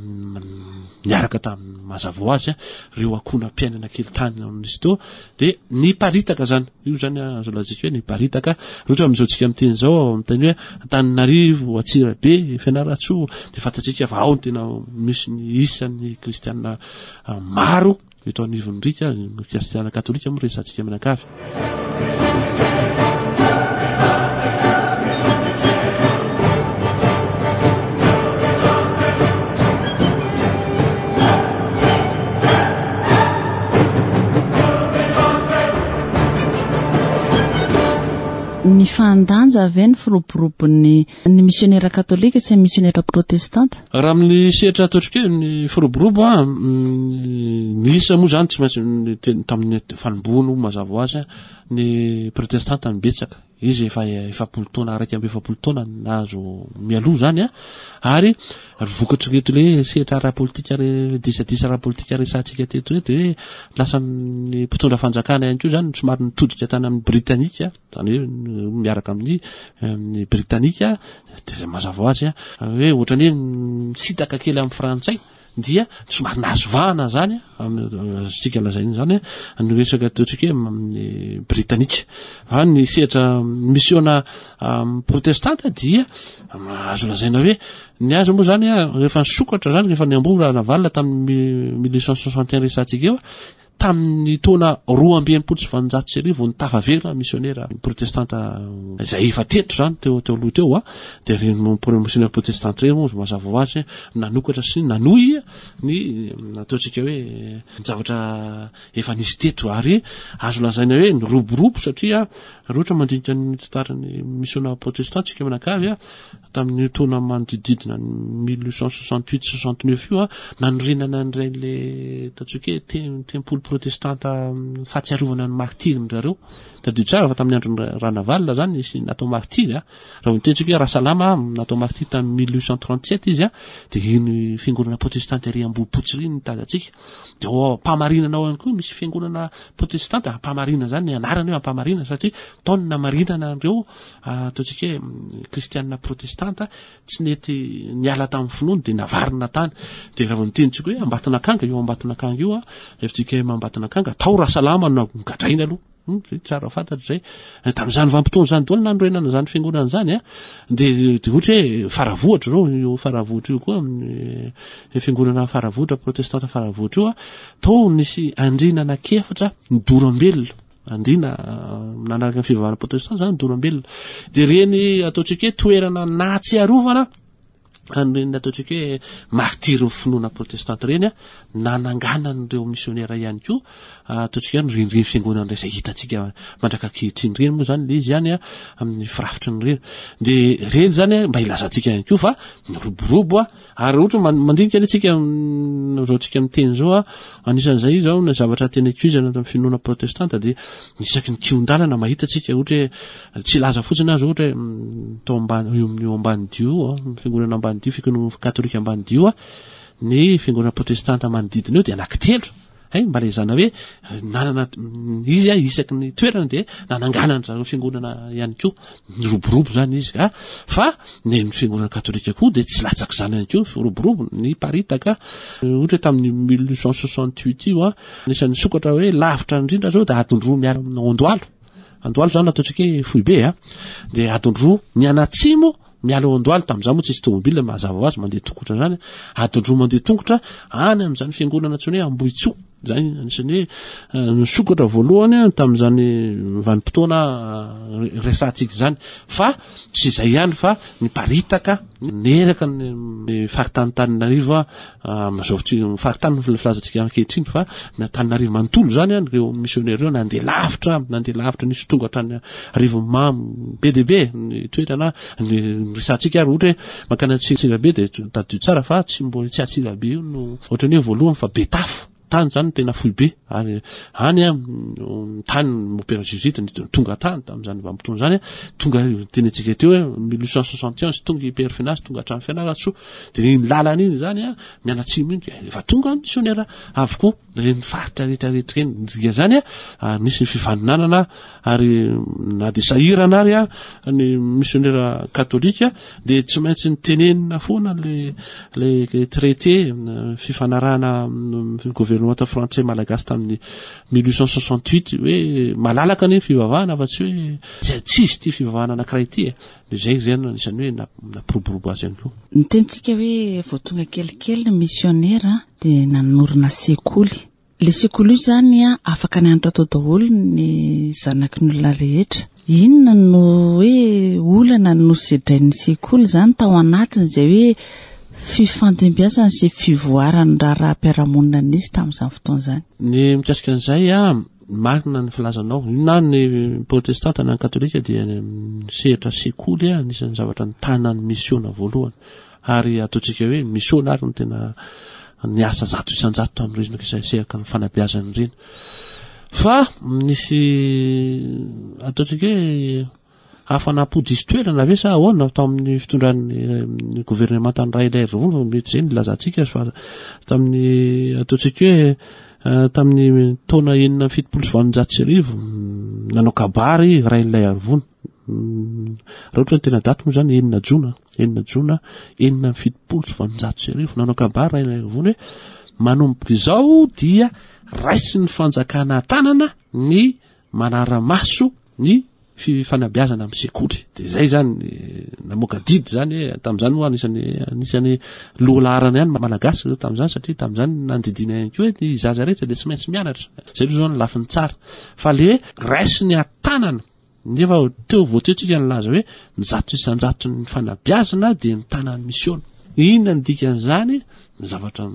niaraka tamin'ny mazava ho azy a, ireo ankohonam-piainana kely tany amin'izy teo, dia niparitaka zany. Io zany azo lazaiko hoe niparitaka. Ohatra amin'izao tsika miteny izao, miteny hoe Antananarivo, Antsirabe, Fianarantsoa, dia fantatsika fa ao no tena misy ny isan'ny kristiana maro eto anivon'ny riaka, ny kristiana katolika moa resahantsika mianakavy. Ny fandanja ve ny firoborobon'ny ny misionera katolika sy ny misionera protestanta? Raha amin'ny sehatra ataontsika hoe ny firoborobo a, mm, ny isa moa zany tsy maintsy ny te-, tamin'ny fanombohana mazava ho azy a, ny protestanta no betsaka. Izy efa efapolo taona, iraika amby efapolo taona nahazo mialoha zany a, ary vokatry reto le sehatra ara-politika re-, disadisa ara-politika resahantsika teto reto, hoe lasa ny mpitondra fanjakana ihany koa zany somary nitodika tany amin'ny Britanika, zany hoe miaraka amin'ny, amin'ny Britanika, dia zay mazava ho azy a, hoe ohatran'ny hoe misintaka kely amin'ny frantsay. dia somary nahazo vahana zany azontsika lazaina zany ny resaka ataontsika hoe amin'ny britanika. Fa ny sehatra misiona protestanta dia azo lazaina hoe ny azy moa zany rehefa nisokatra zany, rehefa niamboho Ranavalona tamin'ny mille huit cent soixante et un resantsika eo, tamin'ny taona roa amby enimpolo sy valonjato sy arivo ny tafaverina misionera protestanta izay efa teto zany teo teo aloha teo a, dia reny misionera protestanta reny moa mazava ho azy nanokatra sy nanohy ny ataontsika hoe ny zavatra efa nisy teto, ary azo lazaina hoe niroborobo satria raha ohatra mandinika ny tantaran'ny misiona protestanta tsika manakavy a, tamin'ny taona manodididina mille huit cent soixante-huit soixante-neuf io a, nanorenana an'ireny le ataontsika hoe te- tempoly protestanta fahatsiarovana ny martyrs zareo. Tadidio tsara fa tamin'ny andron'ny Ranavalona zany nisy natao martyr a. Raha mitentsika hoe Rasalama natao martyr tamin'ny mille huit cent trente-sept izy a, de iny fiangonana protestante ery Ambohipotsy iny tazantsika. De ao Ampamarinana ao ihany koa misy fiangonana protestante Ampamarinana zany ny anarany hoe Ampamarinana, satria tao ny namarinana an'ireo ataontsika hoe kristianina protestanta tsy nety niala tamin'ny finoany de navarina tany. De raha vao nitenitsika hoe Ambatonakanga, io Ambatonakanga io a, F J K M Ambatonakanga, tao Rasalama no gadraina aloha. Hmm, zay tsara fantatra zay. Tamin'izany vanim-potoana zany daholo nanorenana zany fiangonana zany a, de, de ohatra hoe Faravohitra zao, io Faravohitra io koa, amin'ny fiangonana Faravohitra, protestanta Faravohitra io a, tao nisy andriana anankiefatra nidorambelona. Andriana nanaraka ny fivavahana protestanta zany nidorambelona. De reny ataontsika hoe toerana nahatsiarovana an'ireny ataontsika hoe martyr ny finoana protestanta ireny a, nananganan'ireo misionera ihany koa, ataontsika hoe nireniren'ny fiangonana izay hitantsika mandraka ankehitriny ireny moa zany le izy ihany a, amin'ny firafitry ny reny. De reny zany a, mba hilazantsika ihany koa fa niroborobo a, ary ohatra man-, mandinika anie tsika, mm, zao tsika miteny zao a, anisan'izay zao ny zavatra tena ikoizana tamin'ny finoana protestanta de isaky ny kihon-dalana mahita tsika, ohatra hoe tsy laza fotsiny azy, ohatra hoe, mm, tao ambany, eo amin'ny eo ambany dio a, fiangonana ambany dio, fiangonana katolika ambany dio a, ny fiangonana protestanta manodidina eo de anankitelo. Hay, mba lazaina hoe nanana izy a, isaky ny toerana de nananganana zareo fiangonana ihany koa, niroborobo zany izy a. Fa ny fiangonana katolika koa de tsy latsaka izany ihany koa, firoborobo ny paritaka. Ohatra hoe tamin'ny mille huit cent soixante-huit io a, anisan'ny sokatra hoe lavitra indrindra zao de adiny roa miala amin'ny Andohalo. Andohalo zany ataontsika hoe foibe a, de adiny roa mianatsimo miala ao Andohalo. Tamin'izany moa tsisy tomobile, mazava ho azy mandeha tongotra zany, adiny roa mandeha tongotra any amin'izany fiangonana antsoina hoe Ambohitsoa. Zany anisan'ny hoe, eh, nisokatra voalohany a, tamin'izany vanim-potoana, eh, resahantsika izany. Fa tsy izay ihany fa niparitaka neraka ny, ny faritany Antananarivo a, amin'izao fotoana, faritany ny filazantsika ankehitriny, fa ny Antananarivo manontolo zany a, ireo misionera ireo nandeha lavitra, nandeha lavitra, nisy tonga hatrany Arivonimamo, be dia be ny toerana ny resahantsika. Ary ohatra hoe mankany Antsirabe de tadidio tsara fa tsy mbola tsy Antsirabe io no ohatran'ny hoe voalohany fa Betafo. Tany zany tena foibe, ary any a, tany mopera jésuite ny tonga tany tamin'izany vanim-potoana zany a, tonga teny antsika teo hoe mille huit cent soixante et onze tonga i Père Finaz, tonga hatrany Fianarantsoa. De iny lalana iny zany a, mianatsimo iny, de efa tonga misionera avokoa reny faritra rehetrarehetra reny. Dika zany a, ary nisy ny fifaninanana, ary na de sahirana ary a ny misionera katolika de tsy maintsy nitenenina foana le, le traité fifanarahana amin'ny gouvernement frantsay malagasy tamin'ny mille huit cent soixante-huit hoe malalaka ny fivavahana fa tsy hoe tsy tsisy ty fivavahana anankiray ity e. De zay zany anisan'ny hoe na-, nampiroborobo azy ihany koa. Ny tenintsika hoe vao tonga kelikely ny misionera de nanorina sekoly. Le sekoly io zany a, afaka nianatra tao daholo ny zanaky ny olona rehetra. Inona no hoe olana no sedrain'ny sekoly zany tao anatin'izay hoe fifandimbiasana sy fivoaran'ny raharaham-piarahamonina nisy tamin'izany fotoana izany? Ny mikasika an'izay a, marina ny filazanao. Na ny protestanta na ny katolika dia ny sehatra sekoly a, anisan'ny zavatra nitana ny misiona voalohany. Ary ataontsika hoe misiona ary no tena niasa zato isan-jato tamin'ireny izay sehatra ny fanabeazana ireny. Fa nisy ataontsika hoe hafanam-po diso toerana ve sa ahoana tao amin'ny fitondran'ny governemanta ny Rainilaiarivony, mety izay no ilazantsika fa tamin'ny ataontsika hoe, eh, tamin'ny taona enina amby fitopolo sy valonjato sy arivo nanao kabary Rainilaiarivony. Raha ohatra ny tena daty moa zany enina jona, enina jona enina amby fitopolo sy valonjato sy arivo, nanao kabary Rainilaiarivony hoe manomboka izao dia raisin'ny fanjakana an-tanana ny manara-maso ny fifanabeazana amin'ny sekoly. Dia izay zany namoaka didy zany hoe tamin'izany moa anisan'ny anisan'ny lohalaharana ihany Malagasy zao tamin'izany, satria tamin'izany nandidiana ihany koa hoe ny zaza rehetra dia tsy maintsy mianatra. Izay aloha zao ny lafiny tsara. Fa le hoe raisiny an-tanana, nefa teo vao teo tsika nilaza hoe ny zato isan-jaton'ny fanabeazana dia ny tanan'ny misiona. Inona ny dikan'izany? Ny zavatra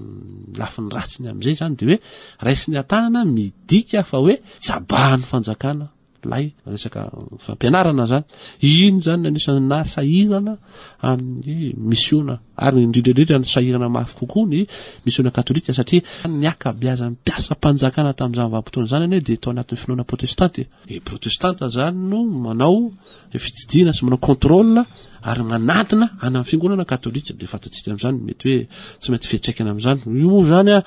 lafiny ratsiny amin'izay zany dia hoe raisiny an-tanana midika fa hoe tsabahan'ny fanjakana lay resaka fampianarana zany. Iny zany anisan'ny nasahirana amin'ny misiona, ary indrindra indrindra ny sahirana mafy kokoa ny misiona katolika, satria ny ankabeazan'ny mpiasam-panjakana tamin'izany vanim-potoana izany anie dia tao anatin'ny finoana protestanta. E protestanta zany no manao fitsidihana sy manao contrôle ary manadina any amin'ny fiangonana katolika. Dia fantatsika amin'izany mety hoe tsy maintsy fiantraikana amin'izany io moa zany a.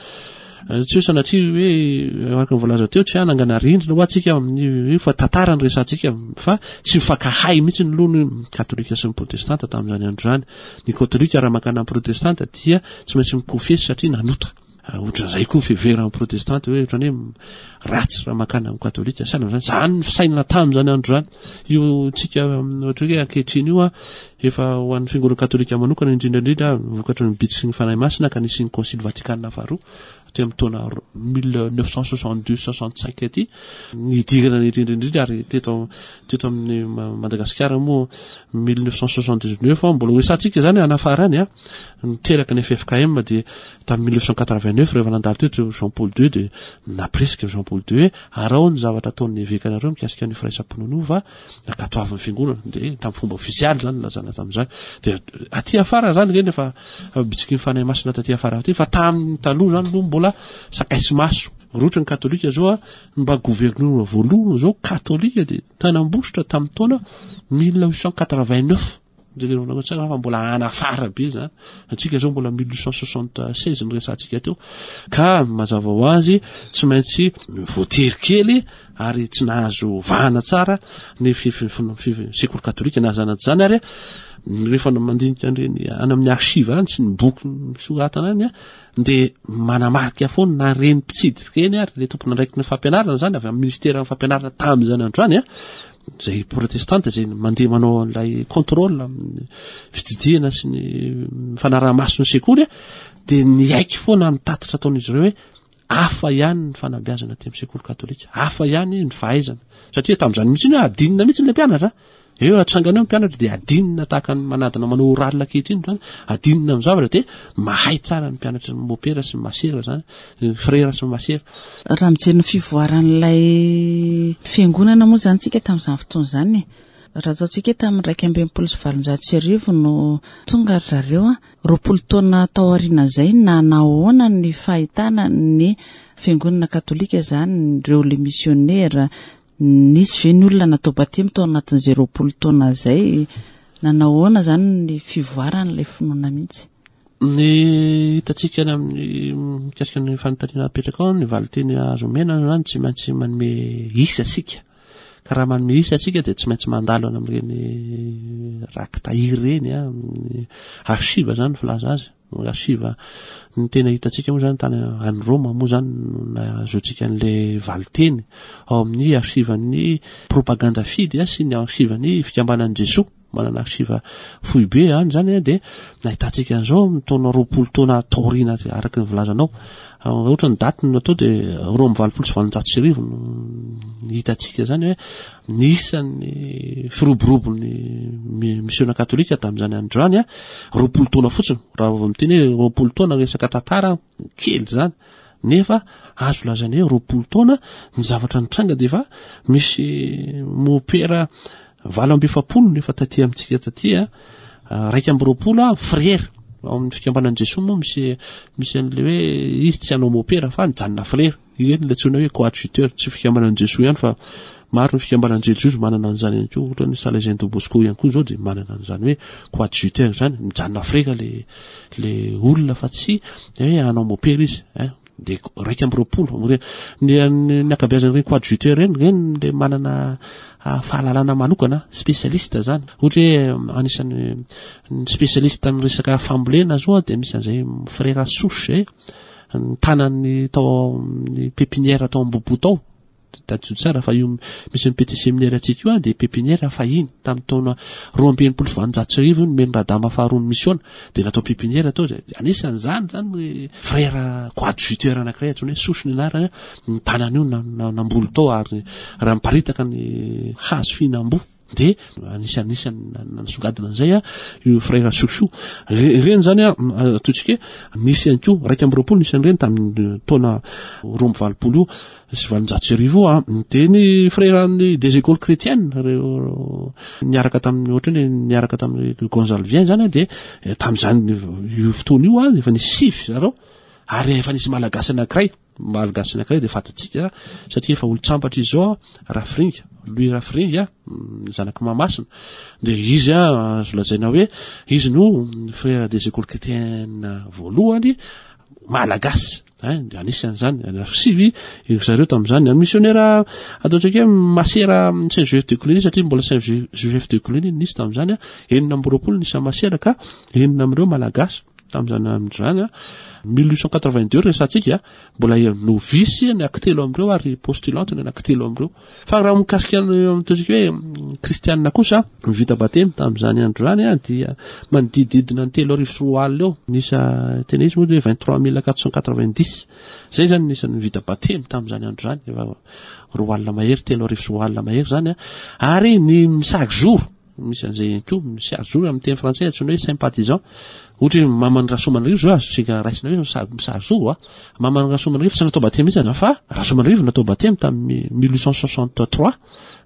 Tsy hoe sanatria hoe araka ny voalaza teo tsy hanangana rindrina ho antsika amin'ny fa tantara ny resantsika, fa tsy mifankahay mihitsy ny loha ny katolika sy ny protestanta tamin'izany andro izany. Ny katolika raha mankana amin'ny protestanta dia tsy maintsy mikofesy satria nanota. Ohatran'izay koa ny fiheveran'ny protestanta hoe ohatran'ny hoe ratsy raha mankana amin'ny katolika. Sahala amin'izany, izany ny fisainana tamin'izany andro izany. Io tsika ohatra hoe ankehitriny io a, efa ho an'ny fiangonana katolika manokana indrindra indrindra vokatry ny bitsiky ny Fanahy Masina ka nisy ny Concile Vatikana faharoa aty amin'ny taona mille neuf cent soixante-deux soixante-cinq aty, nidirana indrindra indrindra ary teto, teto amin'ny Madagasikara moa mille neuf cent soixante-dix-neuf mbola ho resahantsika zany anafara any a, niteraka ny F F K M dia tamin'ny mille neuf cent quatre-vingt-neuf rehefa nandalo teto Jean Paul deux dia napresika Jean Paul deux hoe arao ny zavatra ataon'ny evekanareo mikasika ny firaisam-pinoana io fa nankatoavin'ny fiangonana, dia tamin'ny fomba ofisialy zany nilazana tamin'izany. Dia aty afara zany ireny efa bitsiky ny Fanahy Masina taty afara aty, fa tamin'ny taloha zany aloha mbola sakay sy maso. Rotra ny katolika zao a, mba gouverneur voalohany zao katolika dia tany Ambositra tamin'ny taona mille huit cent quatre-vingt-neuf. Jereo tsara fa mbola anafara be zany. Antsika zao mbola mille huit cent soixante-seize ny resahantsika teo. Ka mazava ho azy tsy maintsy voatery kely ary tsy nahazo vahana tsara ny fi-, fi-, fi-, fi-, sekoly katolika na zany zany. Ary rehefa mandinika an'ireny any amin'ny archive any sy ny boky soratana any a, dia manamarika foana na reny mpitsidika ireny ary le tompon'andraikitry ny fampianarana zany avy amin'ny ministeran'ny fampianarana tamin'izany andro izany a, zay protestanta zay mandeha manao an'ilay contrôle amin'ny fitsidihana sy ny fanaraha-maso ny sekoly a, dia niaiky foana ny tatitra ataon'izy ireo hoe hafa ihany ny fanabeazana aty amin'ny sekoly katolika, hafa ihany ny fahaizana, satria tamin'izany mihitsy hoe adinina mihitsy ilay mpianatra. Eo atsangana eo ny mpianatra dia adinina tahaka ny manadina manao oral ankehitriny zany, adinina amin'ny zavatra dia mahay tsara ny mpianatra ny mopera sy ny masera zany, ny frera sy ny masera. Raha mijery ny fivoaran'ilay fiangonana moa zany tsika tamin'izany fotoana izany, raha ataontsika tamin'ny iraika amby enimpolo sy valonjato sy arivo no tonga ry zareo a, roapolo taona tao aorianan'izay nanahoana ny fahitana ny fiangonana katolika zany, ireo le missionnaire, nisy ve ny olona natao batemy tao anatin'izay roapolo taona izay, nanahoana zany ny fivoaran'ilay finoana mihitsy? Ny hitantsika any amin'ny mikasika ny fanontaniana apetraka ao, ny valinteny azo omena zany tsy maintsy manome isa isika. Ka raha manome isa isika dia tsy maintsy mandalo any amin'ireny raki-tahiry ireny, a, amin'ny archive zany ny filaza azy. Archive ny tena hitantsika moa zany tany any Roma moa zany no nahazoantsika an'ilay valinteny ao amin'ny archive-n'ny Propaganda Fide sy ny archive-n'ny Fikambanan'i Jesoa. Manana archive foibe any zany, dia nahitantsika an'izao amin'ny taona roapolo taona taoriana araka ny filazanao. Ohatra ny daty no natao dia roa amby valopolo sy valonjato sy arivo no hitantsika zany hoe nisan'ny firoborobon'ny mi-, misiona katolika tamin'izany andro izany, a, roapolo taona fotsiny. Raha vao miteny hoe roapolo taona resaka tantara kely zany, nefa azo lazaina hoe roapolo taona ny zavatra nitranga dia efa misy mopera valo amby efapolo nefa taty amintsika taty, a, raika amby roapolo, a, frera. Ao amin'ny fikambanan'i Jesoa moa misy, misy an'ilay hoe izy tsy hanao mopera fa nijanona frera. Ireny ilay antsoina hoe coadjuteur, tsy fikambanan'i Jesoa ihany fa maro ny fikambanan'i Jesoa manana an'izany ihany koa, ohatra ny Salésien de Bosco ihany koa izao dia manana an'izany hoe coadjuteur izany, mijanona frera le, le olona fa tsy hoe hanao mopera izy, hein. Dia iraika amby roapolo ny ny ankabeazan'ireny coadjuteur ireny, ireny le manana fahalalana manokana, spécialiste zany. Ohatra hoe anisan'ny spécialiste amin'ny resaka fambolena zao dia misy an'izay frère Souche zay, ny tanany tao amin'ny pépinière tao Ambohipo tao. Tadidio tsara fa io misy ny petit séminaire antsika io dia pépinière fahiny tamin'ny taona roa amby enimpolo sy valonjato sy arivo nomeny Radama faharoa ny mission dia natao pépinière tao. Anisan'izany zany frère coadjuteur anankiray antsoina hoe Souche ny anarany, ny tanany io namboly tao ary raha miparitaka ny hazo fihinam-boa dia anisan'isany nasongadina an'izay a io frère Souche io. Ireny zany a ataontsika hoe nisy ihany koa iraika amby roapolo nisy an'ireny tamin'ny taona roa amby valopolo io sy valonjato sy arivo io a. Dia ny frère ny des écoles chrétiennes reo niaraka tamin'ny ohatra hoe niaraka tamin'ny Gonzalvien zany a, dia tamin'izany io fotoana io a efa nisy sivy zareo ary efa nisy malagasy anankiray. Malagasy anankiray dia fantatsika satria efa olon-tsampatra izy zao, Rafiringa, Louis Rafiringa, zanak'i Mahamasina. Dia izy a azo lazaina hoe izy no frère des écoles chrétiennes voalohany malagasy. Dia anisan'izany sivy zareo tamin'izany. Ny missionnaire ataontsika hoe masera Saint Joseph de Cluny, satria mbola Saint Joseph de Cluny nisy tamin'izany, enina amby roapolo nisy masera ka enina amin'ireo malagasy tamin'izany andro zany. mille huit cent quatre-vingt-deux resantsika, mbola novice ny anankitelo amin'ireo ary postulante ny anankitelo amin'ireo. Fa raha mikasika ataontsika hoe kristianina kosa vita batemy tamin'izany andro zany dia manodidididina ny telo arivo sy roa alina eo. Nisa tena izy moa hoe vingt-trois mille quatre cent quatre-vingt-dix zay zany nisan'ny vita batemy tamin'izany andro zany, efa roa alina mahery, telo arivo sy roa alina mahery zany. Ary ny chaque jour misy an'izay ihany koa, misy chaque jour amin'ny teny frantsay antsoina hoe sympathisant. Ohatra hoe Mamany Rasoamanarivo zao azontsika raisina hoe misarizoro a. Mamany Rasoamanarivo tsy natao batemy mihitsy fa Rasoamanarivo natao batemy tamin'ny mille huit cent soixante-trois,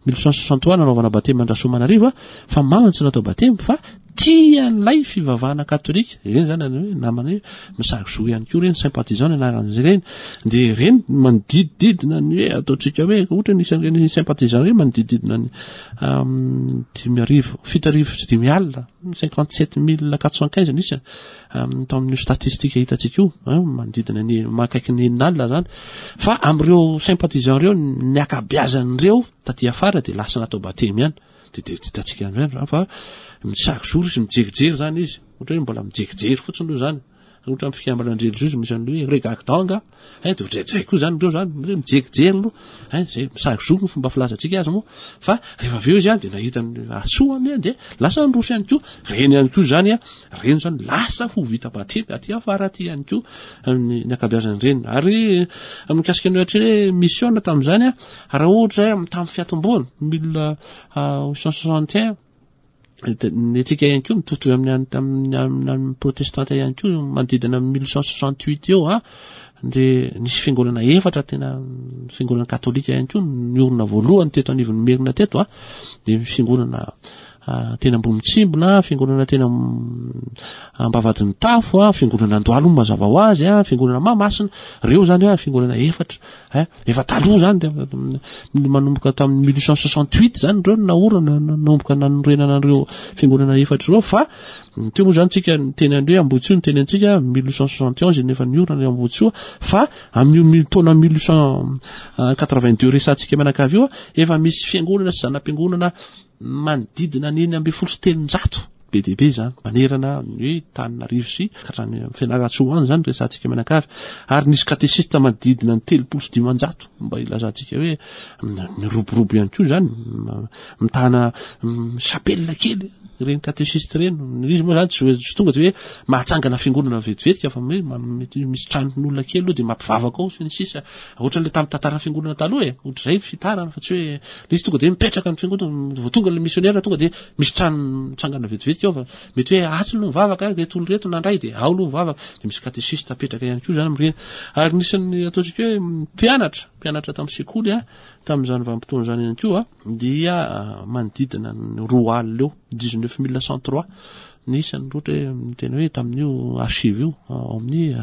mille huit cent soixante-trois nanaovana batemy an-dRasoamanarivo, fa mamany tsy natao batemy fa tia an'ilay fivavahana katolika. Ireny zany hoe namana hoe misarizo ihany koa ireny, sympathisant ny anaran'izy ireny. Dia ireny manodidididina ny hoe ataontsika hoe ohatra nisy an'ireny sympathisant ireny manodidididina ny dimy arivo, fito arivo sy dimy alina, cinquante-sept mille quatre cent quinze nisy tao amin'io statistique hitantsika io, manodidina ny mahakaiky ny enina alina zany. Fa amin'ireo sympathisant ireo ny ankabeazan'ireo taty afara dia lasa natao batemy ihany. Dia dia hitantsika amin'izany zany fa misarizory izy, mijerijery zany izy, ohatra hoe mbola mijerijery fotsiny aloha zany. Ohatra amin'ny fikambanan-drelijiozy misy an'ilay hoe regardanga, eh, dia ohatr'izay koa zany ireo zany, hoe mijerijery aloha, eh, zay misarizory ny fomba filazantsika azy moa. Fa rehefa avy eo izy dia nahita ny hasoany dia lasa niroso ihany koa. Ireny ihany koa zany, ireny zany lasa ho vita batemy aty afara aty ihany koa ny ankabeazan'ireny. Ary mikasika ny ohatra hoe mission tamin'izany, raha ohatra tamin'ny fiatombohana mille huit cent soixante et un, ny antsika ihany koa mitovitovy amin'ny amin'ny amin'ny protestanta ihany koa manodidina amin'ny mille huit cent soixante-huit eo a, dia nisy fiangonana efatra tena fiangonana katolika ihany koa niorina voalohany teto anivon'ny Merina teto a. Dia fiangonana tena Ambohimitsimbina, fiangonana tena Ambavahadin'ny Tafo a, fiangonana Andohalo mazava ho azy a, fiangonana Mahamasina. Ireo zany a fiangonana efatra, eh, efa taloha zany dia manomboka tamin'ny mille huit cent soixante-huit zany ireo naorina, nanomboka nanorenana an'ireo fiangonana efatra ireo. Fa teo moa zany tsika teny an'ireo Ambohitsoa, ny teny antsika mille huit cent soixante et onze nefa niorina ny Ambohitsoa. Fa amin'io taona mille huit cent quatre-vingt-deux resantsika mianakavy io, efa misy fiangonana sy zana-piangonana manodidina ny enina ambin'ny folo sy telonjato, be dia be zany manerana ny hoe Tananarivo sy hatrany Fianarantsoa any zany resantsika mianakavy. Ary nisy katesista manodidina ny telopolo sy dimanjato, mba ilazantsika hoe miroborobo ihany koa zany, mitana chapelle kely ireny katesista ireny. Izy moa zany tsy tsy tonga de hoe mahatsangana fiangonana vetivetiky, fa mety misy tranon'olona kely aloha dia mampivavaka ao sy ny sisa, ohatran'ilay tamin'ny tantaran'ny fiangonana taloha e, ohatr'izay fitarana, fa tsy hoe izy tonga de mipetraka ny fiangonana vao tonga le missionnaire tonga de misy trano mitsangana vetivetiky ao, fa mety hoe atsy aloha mivavaka reto olo reto nandray dia ao aloha mivavaka, dia misy katesista apetraka ihany koa zany amin'ireny. Ary nisy ny ataontsika hoe mpianatra, mpianatra tamin'ny sekoly a tamin'izany vanim-potoana izany ihany koa dia manodidina ny roa alina eo, dix-neuf mille cent trois nisy ny ohatra hoe miteny hoe tamin'io archive io, ao amin'ny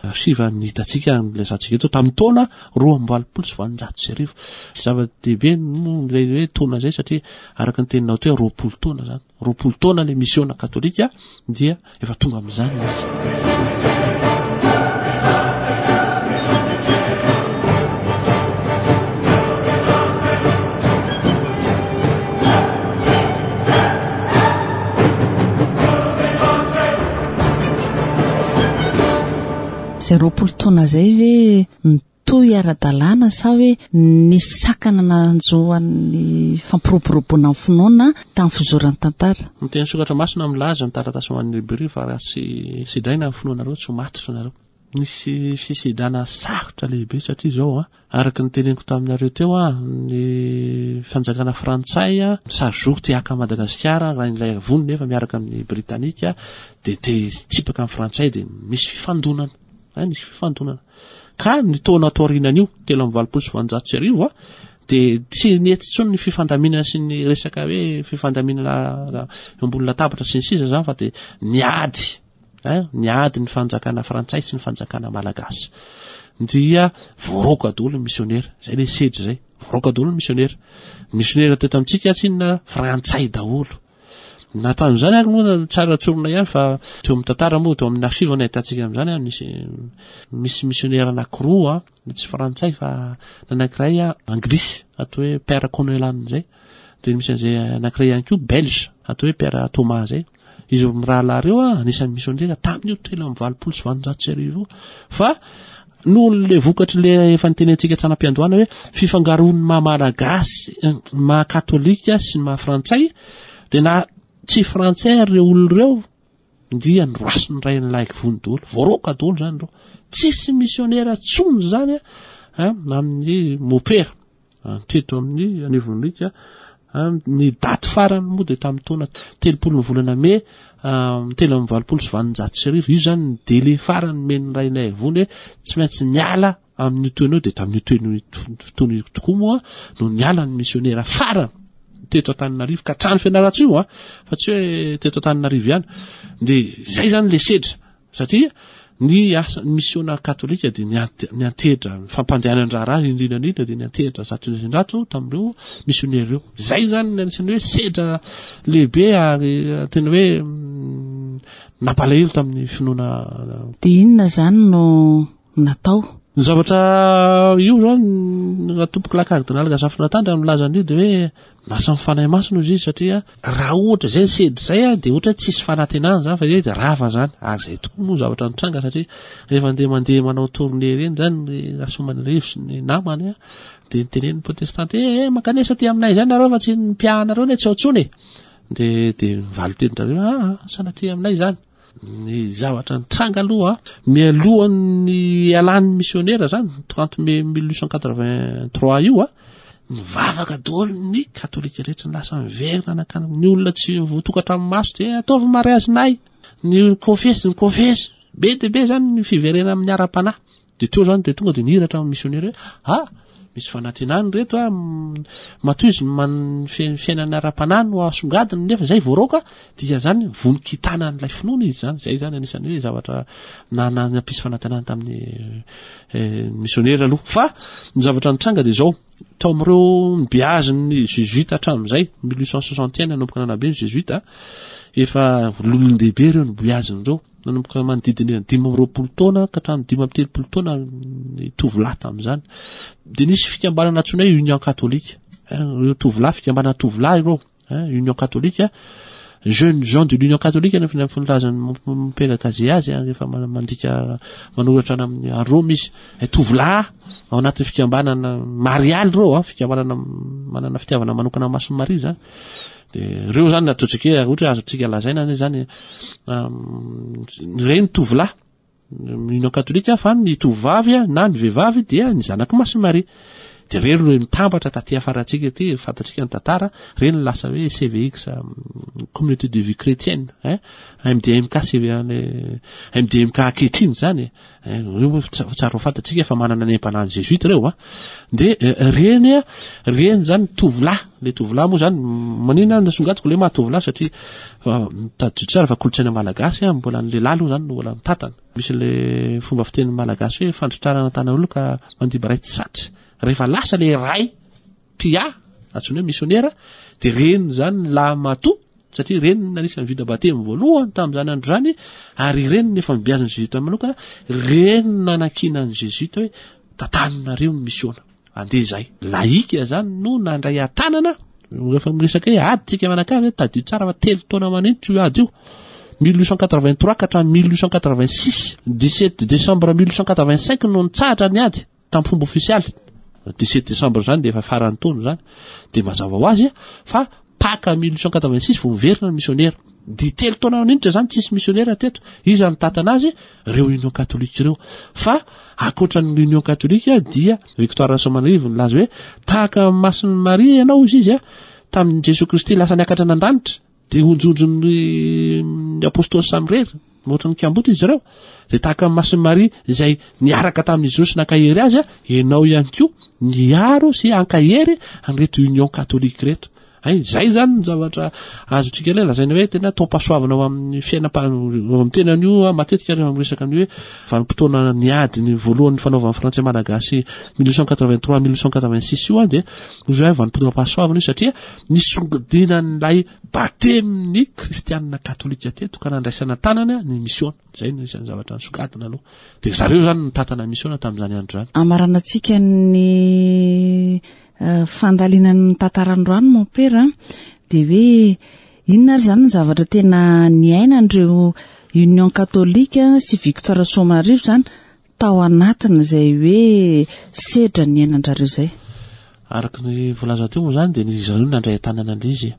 archive ny hitantsika ilazantsika eto tamin'ny taona roa amby valopolo sy valonjato sy arivo. Zava-dehibe moa ilay hoe taona izay, satria araka ny teninao teo hoe roapolo taona zany, roapolo taona ilay misiona katolika dia efa tonga amin'izany izy. Izay roapolo taona izay ve nitohy ara-dalàna sa hoe nisy sakana nanjo an'ny fampiroboroboana ny finoana tamin'ny fizoran'ny tantara? Ny teny soratra masina milaza ny taratasy ho an'ny Hebreo fa raha tsy sedraina ny finoanareo tsy ho matotra nareo. Nisy fisedrana sarotra lehibe satria izao a, araka ny teneniko taminareo teo a, ny fanjakana frantsay a, sary zoro te haka Madagasikara raha ilay vono nefa miaraka amin'ny Britanika dia te hitsipaka amin'ny frantsay dia misy fifandonana. A, nisy fifandonana. Ka ny taona taorianan'io, telo amby valopolo sy valonjato sy arivo a, dia tsy nety intsony ny fifandaminana sy ny resaka hoe fifandaminana eo ambony latabatra sy ny sisa zany fa dia niady. Hein, niady ny fanjakana frantsay sy ny fanjakana malagasy. Dia voaroaka daholo ny misionera. Zay le sedra zay. Voaroaka daholo ny misionera. Ny misionera teto amintsika tsy inona frantsay daholo. Na tamin'izany ary moa tsara tsorina ihany fa teo amin'ny tantara moa, teo amin'ny archive no ahitantsika amin'izany, misy, misy misionera anankiroa, tsy frantsay fa ny anankiray anglisy atao hoe Père Conelan zay. Dia misy an'izay anankiray ihany koa belge atao hoe Père Thomas zay. Izy mirahalahy ireo a, anisan'ny misionera tamin'io telo amby valopolo sy valonjato sy arivo io. Fa noho le vokatry le efa nitenentsika hatrany am-piandohana hoe fifangaroan'ny maha malagasy, maha katolika sy ny maha frantsay, dia na tsy frantsay ary ireo olona ireo dia norasin'ny Rainilaivono daholo, voaroaka daholo zany ireo. Tsisy misionera tsony zany a, amin'ny mopera teto amin'ny anivon'Ika. Ny daty farany moa dia tamin'ny taona telopolo ny volana mey, telo amby valopolo sy valonjato sy arivo. Io zany ny délai farany nomen'ny Rainilaivono hoe tsy maintsy miala amin'io taona io. Dia tamin'io taona io tokoa moa no niala ny misionera farany teto Antananarivo ka hatrany Fianarantsoa io a, fa tsy hoe teto Antananarivo ihany. Dia zay zany le sedra, satria ny asa ny misiona katolika dia niante-, niantehitra ny fampandehanan-draharaha indrindra indrindra dia niantehitra zato isan-jato tamin'ireo misionera ireo. Zay zany ny anisan'ny hoe sedra lehibe ary tena hoe, mm, nampalahelo tamin'ny finoana. Dia inona zany no natao? Ny zavatra io zany, raha tompoko lahy kardinaly Razafindratandrana milaza an'io dia hoe lasa ny Fanahy Masina izy izy, satria raha ohatra zay ny sedra zay a, dia ohatra hoe tsisy fanantenana zany fa hoe dia rava zany. Ary zay tokoa moa zavatra nitranga, satria rehefa andeha mandeha manao tournée ireny zany ny Rasoamanarivo sy ny namany a, dia nitenen'ny protestante hoe, eh, mankanesa aty aminay zany nareo fa tsy ny mpiahanareo ne tsy ao intsony e. Dia, dia mivaly teny zareo, ah, ah, sanatria aminay zany. Ny zavatra nitranga aloha, mialohan'ny ialan'ny misionera zany, trente mai mille huit cent quatre-vingt-trois io a, nivavaka daholo ny katolika rehetra, ny lasa miverina nankany ny olona tsy voatokatra amin'ny maso dia ataovy mariazinay, ny konfesy, ny konfesy be dia be zany ny fiverena amin'ny ara-panahy. Dia teo zany dia tonga dia nihiratra amin'ny misionera hoe, ah, misy fanantenana reto a, matoa izy man-, fi-, fiainana ara-panahy no asongadiny nefa zay voaroaka, dia zany vonon-kitana an'ilay finoana izy zany. Zay zany anisan'ny hoe zavatra na-, na-, nampisy fanantenana tamin'ny, eh, misionera aloha. Fa ny zavatra nitranga dia zao, tao amin'ireo nibeazin'ny jésuite hatramin'izay, mille huit cent soixante et un nanomboka nanabe ny jésuite, efa olon-dehibe ireo nibeazin'ireo, nanomboka manodidina dimy amby roapolo taona ka hatramin'ny dimy amby telopolo taona ny tovolahy tamin'izany. Dia nisy fikambanana antsoina hoe Union catholique, ireo tovolahy, fikambanana tovolahy ireo, Union catholique, jeunes gens de l'Union catholique no filazan'ny Mompera Cazé azy, rehefa mandika manoratra any amin'ny Rome izy. Tovolahy ao anatin'ny fikambanana marialy ireo, fikambanana manana fitiavana manokana Masina Maria zany. Dia ireo zany ataontsika hoe ohatra hoe azontsika lazaina anie zany, ireny tovolahy Union catholique, fa ny tovovavy na ny vehivavy dia ny zanak'i Masina Maria. Dia ireny no mitambatra taty afarantsika aty, fantatsika ny tantara, ireny no lasa hoe C V X, communauté de vie chrétienne, hein, M D M K, C V A, M D M K ankehitriny zany, hein, ireo moa tsa-, tsara ho fantatsika fa manana ny aim-panahin'ny jésuite ireo, hein. Dia, eh, ireny, ireny zany tovolahy, le tovolahy moa zany, maninona nasongadiko le maha tovolahy satria, fa, tadidio tsara fa kolontsaina malagasy, hein, mbola ny lehilahy aloha zany no mbola mitantana. Misy le fomba fiteny malagasy hoe fandrotrarana tanan'olona ka mandimby ray tsy satry. Rehefa lasa le ray pia, antsoina hoe misionera, dia reny zany ny lahy matoa, satria reny no anisan'ny vita batemy voalohany tamin'izany andro izany, ary reny no efa nibeazin'ny jésuite manokana, reny no nanakiana ny jésuite hoe tantananareo ny misiona. Andeha izay. Laika zany no nandray an-tanana. Rehefa miresaka hoe ady tsika manakavy, tadidio tsara fa telo taona maninitra io ady io. mille huit cent quatre-vingt-trois ka hatramin'ny mille huit cent quatre-vingt-six, dix-sept décembre mille huit cent quatre-vingt-cinq no nitsahatra ny ady tamin'ny fomba ofisialy. dix-sept décembre zany de efa farany taona zany, de mazava ho azy fa Paka mille huit cent quatre-vingt-six vao miverina ny missionnaire. De telo taona ninitra zany tsisy missionnaire teto. Iza nitatana azy? Reo Union catholique ireo. Fa ankoatra ny Union catholique dia Victoire Rasoamanarivo nilaza hoe tahaka Masina Maria ianao izy izy a tamin'ny Jesosy Kristy lasa niakatra an-danitra, de onjonjon'ny apôstôly samirery mihoatra ny kamboty izy ireo, de tahaka Masina Maria izay niaraka tamin'izy ireo sy nankahery azy a, ianao ihany koa niaro sy ankahery an'ireto Union catholique reto. Ay, zay zany ny zavatra azontsika le lazaina hoe tena taom-pahasoavana ao amin'ny fiainam-pa- amin'ny tenan'io. Matetika rehefa miresaka ny hoe vanim-potoana ny ady ny voalohany fanaovan'ny frantsay malagasy mille huit cent quatre-vingt-trois mille huit cent quatre-vingt-six io a, de ozy hoe vanim-potoana-pahasoavana io satria nisongadinan'ilay batemin'ny kristianina katolika teto ka nandraisana tanana ny mission. Zay no isan'ny zavatra nisongadina aloha, de zareo zany nitatana mission tamin'izany andro zany. Amaranantsika ny eh, fandalinan'ny tantarandroany, mompera, de hoe inona ary zany ny zavatra tena niainan'ireo Union catholique sy Victoire Soamanarivo zany tao anatin'izay hoe sedra ny ainan-drareo zay? Araka ny voalaza teo moa zany, de ny zareo nandray tanana an'ilay izy,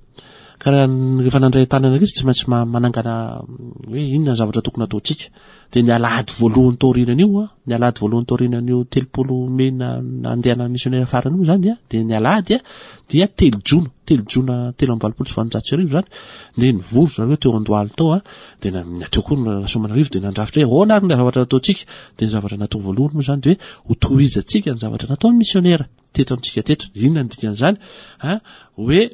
ka raha rehefa nandray tanana izy, tsy maintsy ma- manangana hoe inona ny zavatra tokony ataontsika. De ny alahady voalohany taorianan'io a, ny alahady voalohany taorianan'io telopolo mey na nandehana missionnaire farany io zany, a de ny alahady a dia telo jona, telo jona telo amby valopolo sy valonjato sy arivo zany, de nivory zareo teo Andohalo tao a, de na teo koa ny Rasoamanarivo, de nandrafitra hoe ahoana ary ny zavatra ataontsika. De ny zavatra natao voalohany moa zany de hoe ho tohizantsika ny zavatra nataon'ny missionnaire teto amintsika teto. Inona ny dikan'izany a? Hoe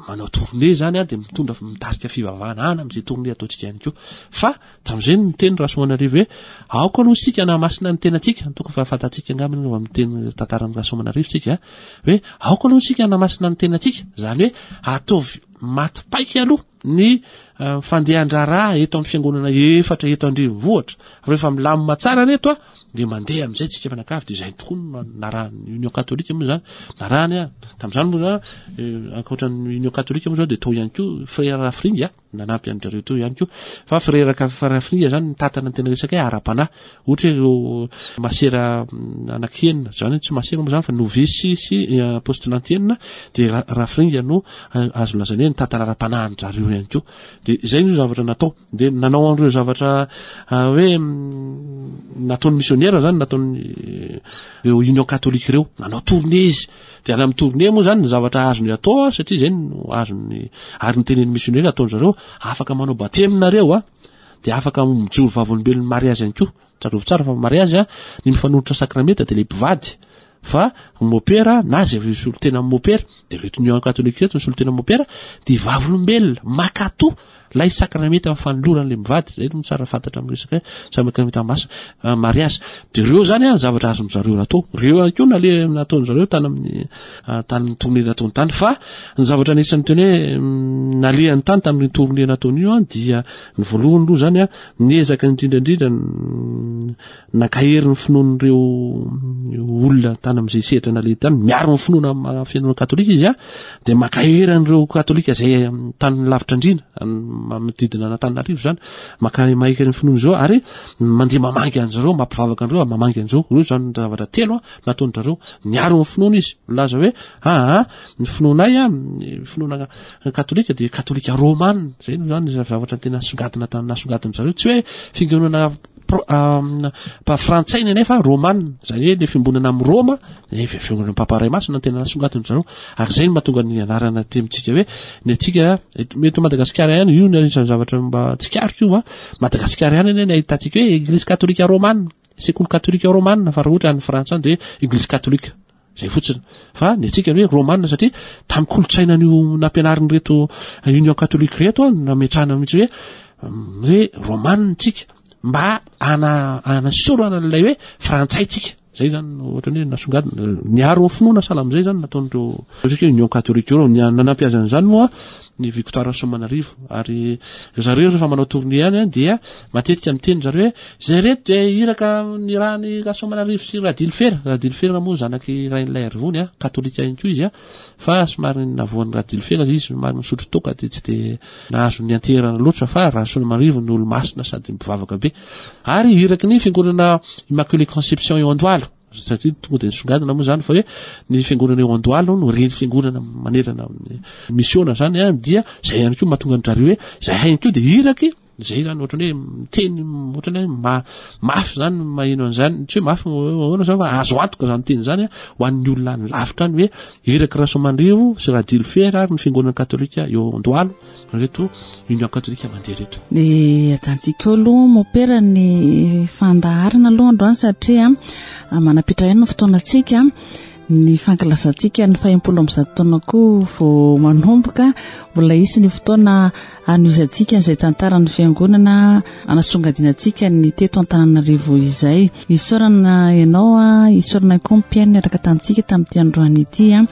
manao tournée zany a, de mitondra mitarika fivavahana ana am'izay tournée ataontsika ihany koa. Fa tam'izay ny teny Rasoamanarivo hoe aoka aloha sika namasina ny tenantsika. Tokony fa fantatsika angambany amy teny tantaran'ny Rasoamanarivo tsika hoe aoka aloha sika namasina ny tenantsika, zany hoe ataovy maty paika aloha ny fandehan-draharaha eto amin'ny fiangonana efatra eto andrenivohitra. Rehefa milamina tsara reto a, de mandeha am'izay tsika fanakavy. De zay tokoa no narahany Union catholique moa zany, narahany a tam'izany moa zany. Ankoatran'ny Union catholique moa zao, de tao ihany koa frère Rafringa nanampy an-drareo teo ihany koa. Fa frère Rafringa zany nitatana ny tena resaka hoe ara-panahy, ohatra hoe ireo masera anaky enina zany, hoe tsy masera moa zany fa novice sy postulante enina, de Rafringa no azo lazaina hoe nitatana ara-panahy an-drareo ihany koa. De zay no zavatra natao, de nanao an'ireo zavatra hoe nataon'ny missionnaire zany, nataon'ny reo Union catholique reo, nanao tournée izy. De any amy tournée moa zany ny zavatra azony atao, satria zay no azony ary ny tenen'ny missionnaire ataon-zareo: afaka manao batemy nareo a, de afaka mijoro vavolombelon'ny mariazy ihany koa. Tsarovy tsara fa mariazy a, ny mifanolotra sakramenta de le mpivady, fa mopera na zay solotena mopera, de reto Union catholique reto ny solotena mopera, de vavolombelona makato lay sakramenta mifanoloran'le mivady. Zay no tsara fantatra amy resaka hoe sakramenta masina mariazy. De reo zany a zavatra azony zareo natao reo ihany koa, nale nataon-zareo tany amin'ny tany tournée nataony tany. Fa ny zavatra anisan'ny teny hoe nalehany tany tamin'ny tournée nataony io a, dia ny voalohany aloha zany a, niezaka indrindrandrindra nakahery ny finoan'ireo olona tany am'izay sehatra naleha tany. Miaro ny finoana fiangonana katolika izy a, de makahery an'ireo katolika zay tany lavitra andrina manodidina an'Antananarivo zany, maka mahika ny finoana zao, ary mandeha mamangy an'zareo, mampivavaka an'ireo, mamangy an'zao reo zany. Zavatra telo a nataon-drareo: niaro ny finoana izy, milaza hoe aa ny finoanay a, ny finoana katolika de katolika romana. Zay no zany zavatra tena songadina nasongadina zareo, tsy hoe fiangonana pa frantsay nefa romana, zany hoe le fiombonana amy Roma, fiangonana papa ray masina tena nasongadina zareo. Ary zay no mahatonga ny anarana ty amitsika hoe ny atsika mety Madagasikara ihany io, ny anisan'ny zavatra mba tsikariko io a, Madagasikara ihany eny ny ahitantsika hoe église katolika romana, sekoly katolika romana. Fa raha ohatra any Frantsa any de hoe église catholique zay fotsiny, fa ny atsika ny hoe romana, satria tamy kolotsainan'io nampianariny reto Union catholique reto a, nametrahana mihitsy hoe hoe romana tsika mba ana anasorana an'ilay hoe frantsay tsika. Zay zany ohatrany hoe nasongadina niaro ny finoana sahala amin'izay zany nataon'ireo satria Union catholique ireo. Nanampy azy an'izany moa ny Victoire Rasoamanarivo. Ary zareo rehefa manao tournée any a, dia matetika miteny zareo hoe zay reto dia iraka nirahany Rasoamanarivo sy Radilifera. Radilifera moa zanaky Rainilaiarivony a, katolika ihany koa izy a, fa somary navoan'ny Radilifera izy, somary misotro toaka dia tsy de nahazo ny anterana loatra, fa Rasoamanarivo ny olo masina sady mpivavaka be, ary iraky ny fiangonana Immaculée Conception eo Andohalo, satria tonga de nisongadina moa zany fa hoe ny fiangonana eo Andohalo no reny fiangonana manerana amin'ny misiona zany a. Dia zay ihany koa mahatonga an-drareo hoe zay ihany koa de iraky zay zany. Ohatrany hoe miteny ohatrany hoe ma mafy zany maheno an'izany, tsy hoe mafy ahoana zany, fa azo antoka zany teny zany a ho an'ny olona any lavitra any hoe iraky Rasoamanarivo sy Radilifera ary ny fiangonana katolika eo Andohalo reto Union catholique mandeha reto. De ajantsika eo aloha mopera ny fandaharana aloha androany, satria manapitra ihany ny fotoanantsika. Ny fankalazantsika ny fahenimpolo amby zato taona koa vao manomboka, mbola hisy ny fotoana anohizantsika izay tantaran'ny fiangonana, anasongadinantsika ny teto Antananarivo izay. Isaorana ianao a, isaorana koa mpihaino niaraka tamintsika tamin'ity androany ity a.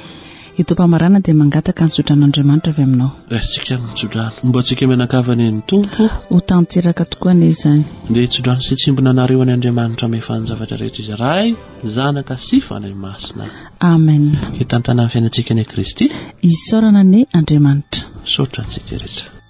Eto am-pamarana dia mangataka ny tsodran'Andriamanitra avy aminao. Raisintsika ny tsodrano. Momba antsika mianakavy ny Tompo. Ho tanteraka tokoa anie izany. Dia tsodrano sy tsimbina anareo any Andriamanitra mahefa ny zavatra rehetra izy, Ray, Zanaka sy Fanahy Masina. Amen. Hitantana ny fiainantsika ny Kristy. Isaorana ny Andriamanitra. Misaotra antsika rehetra.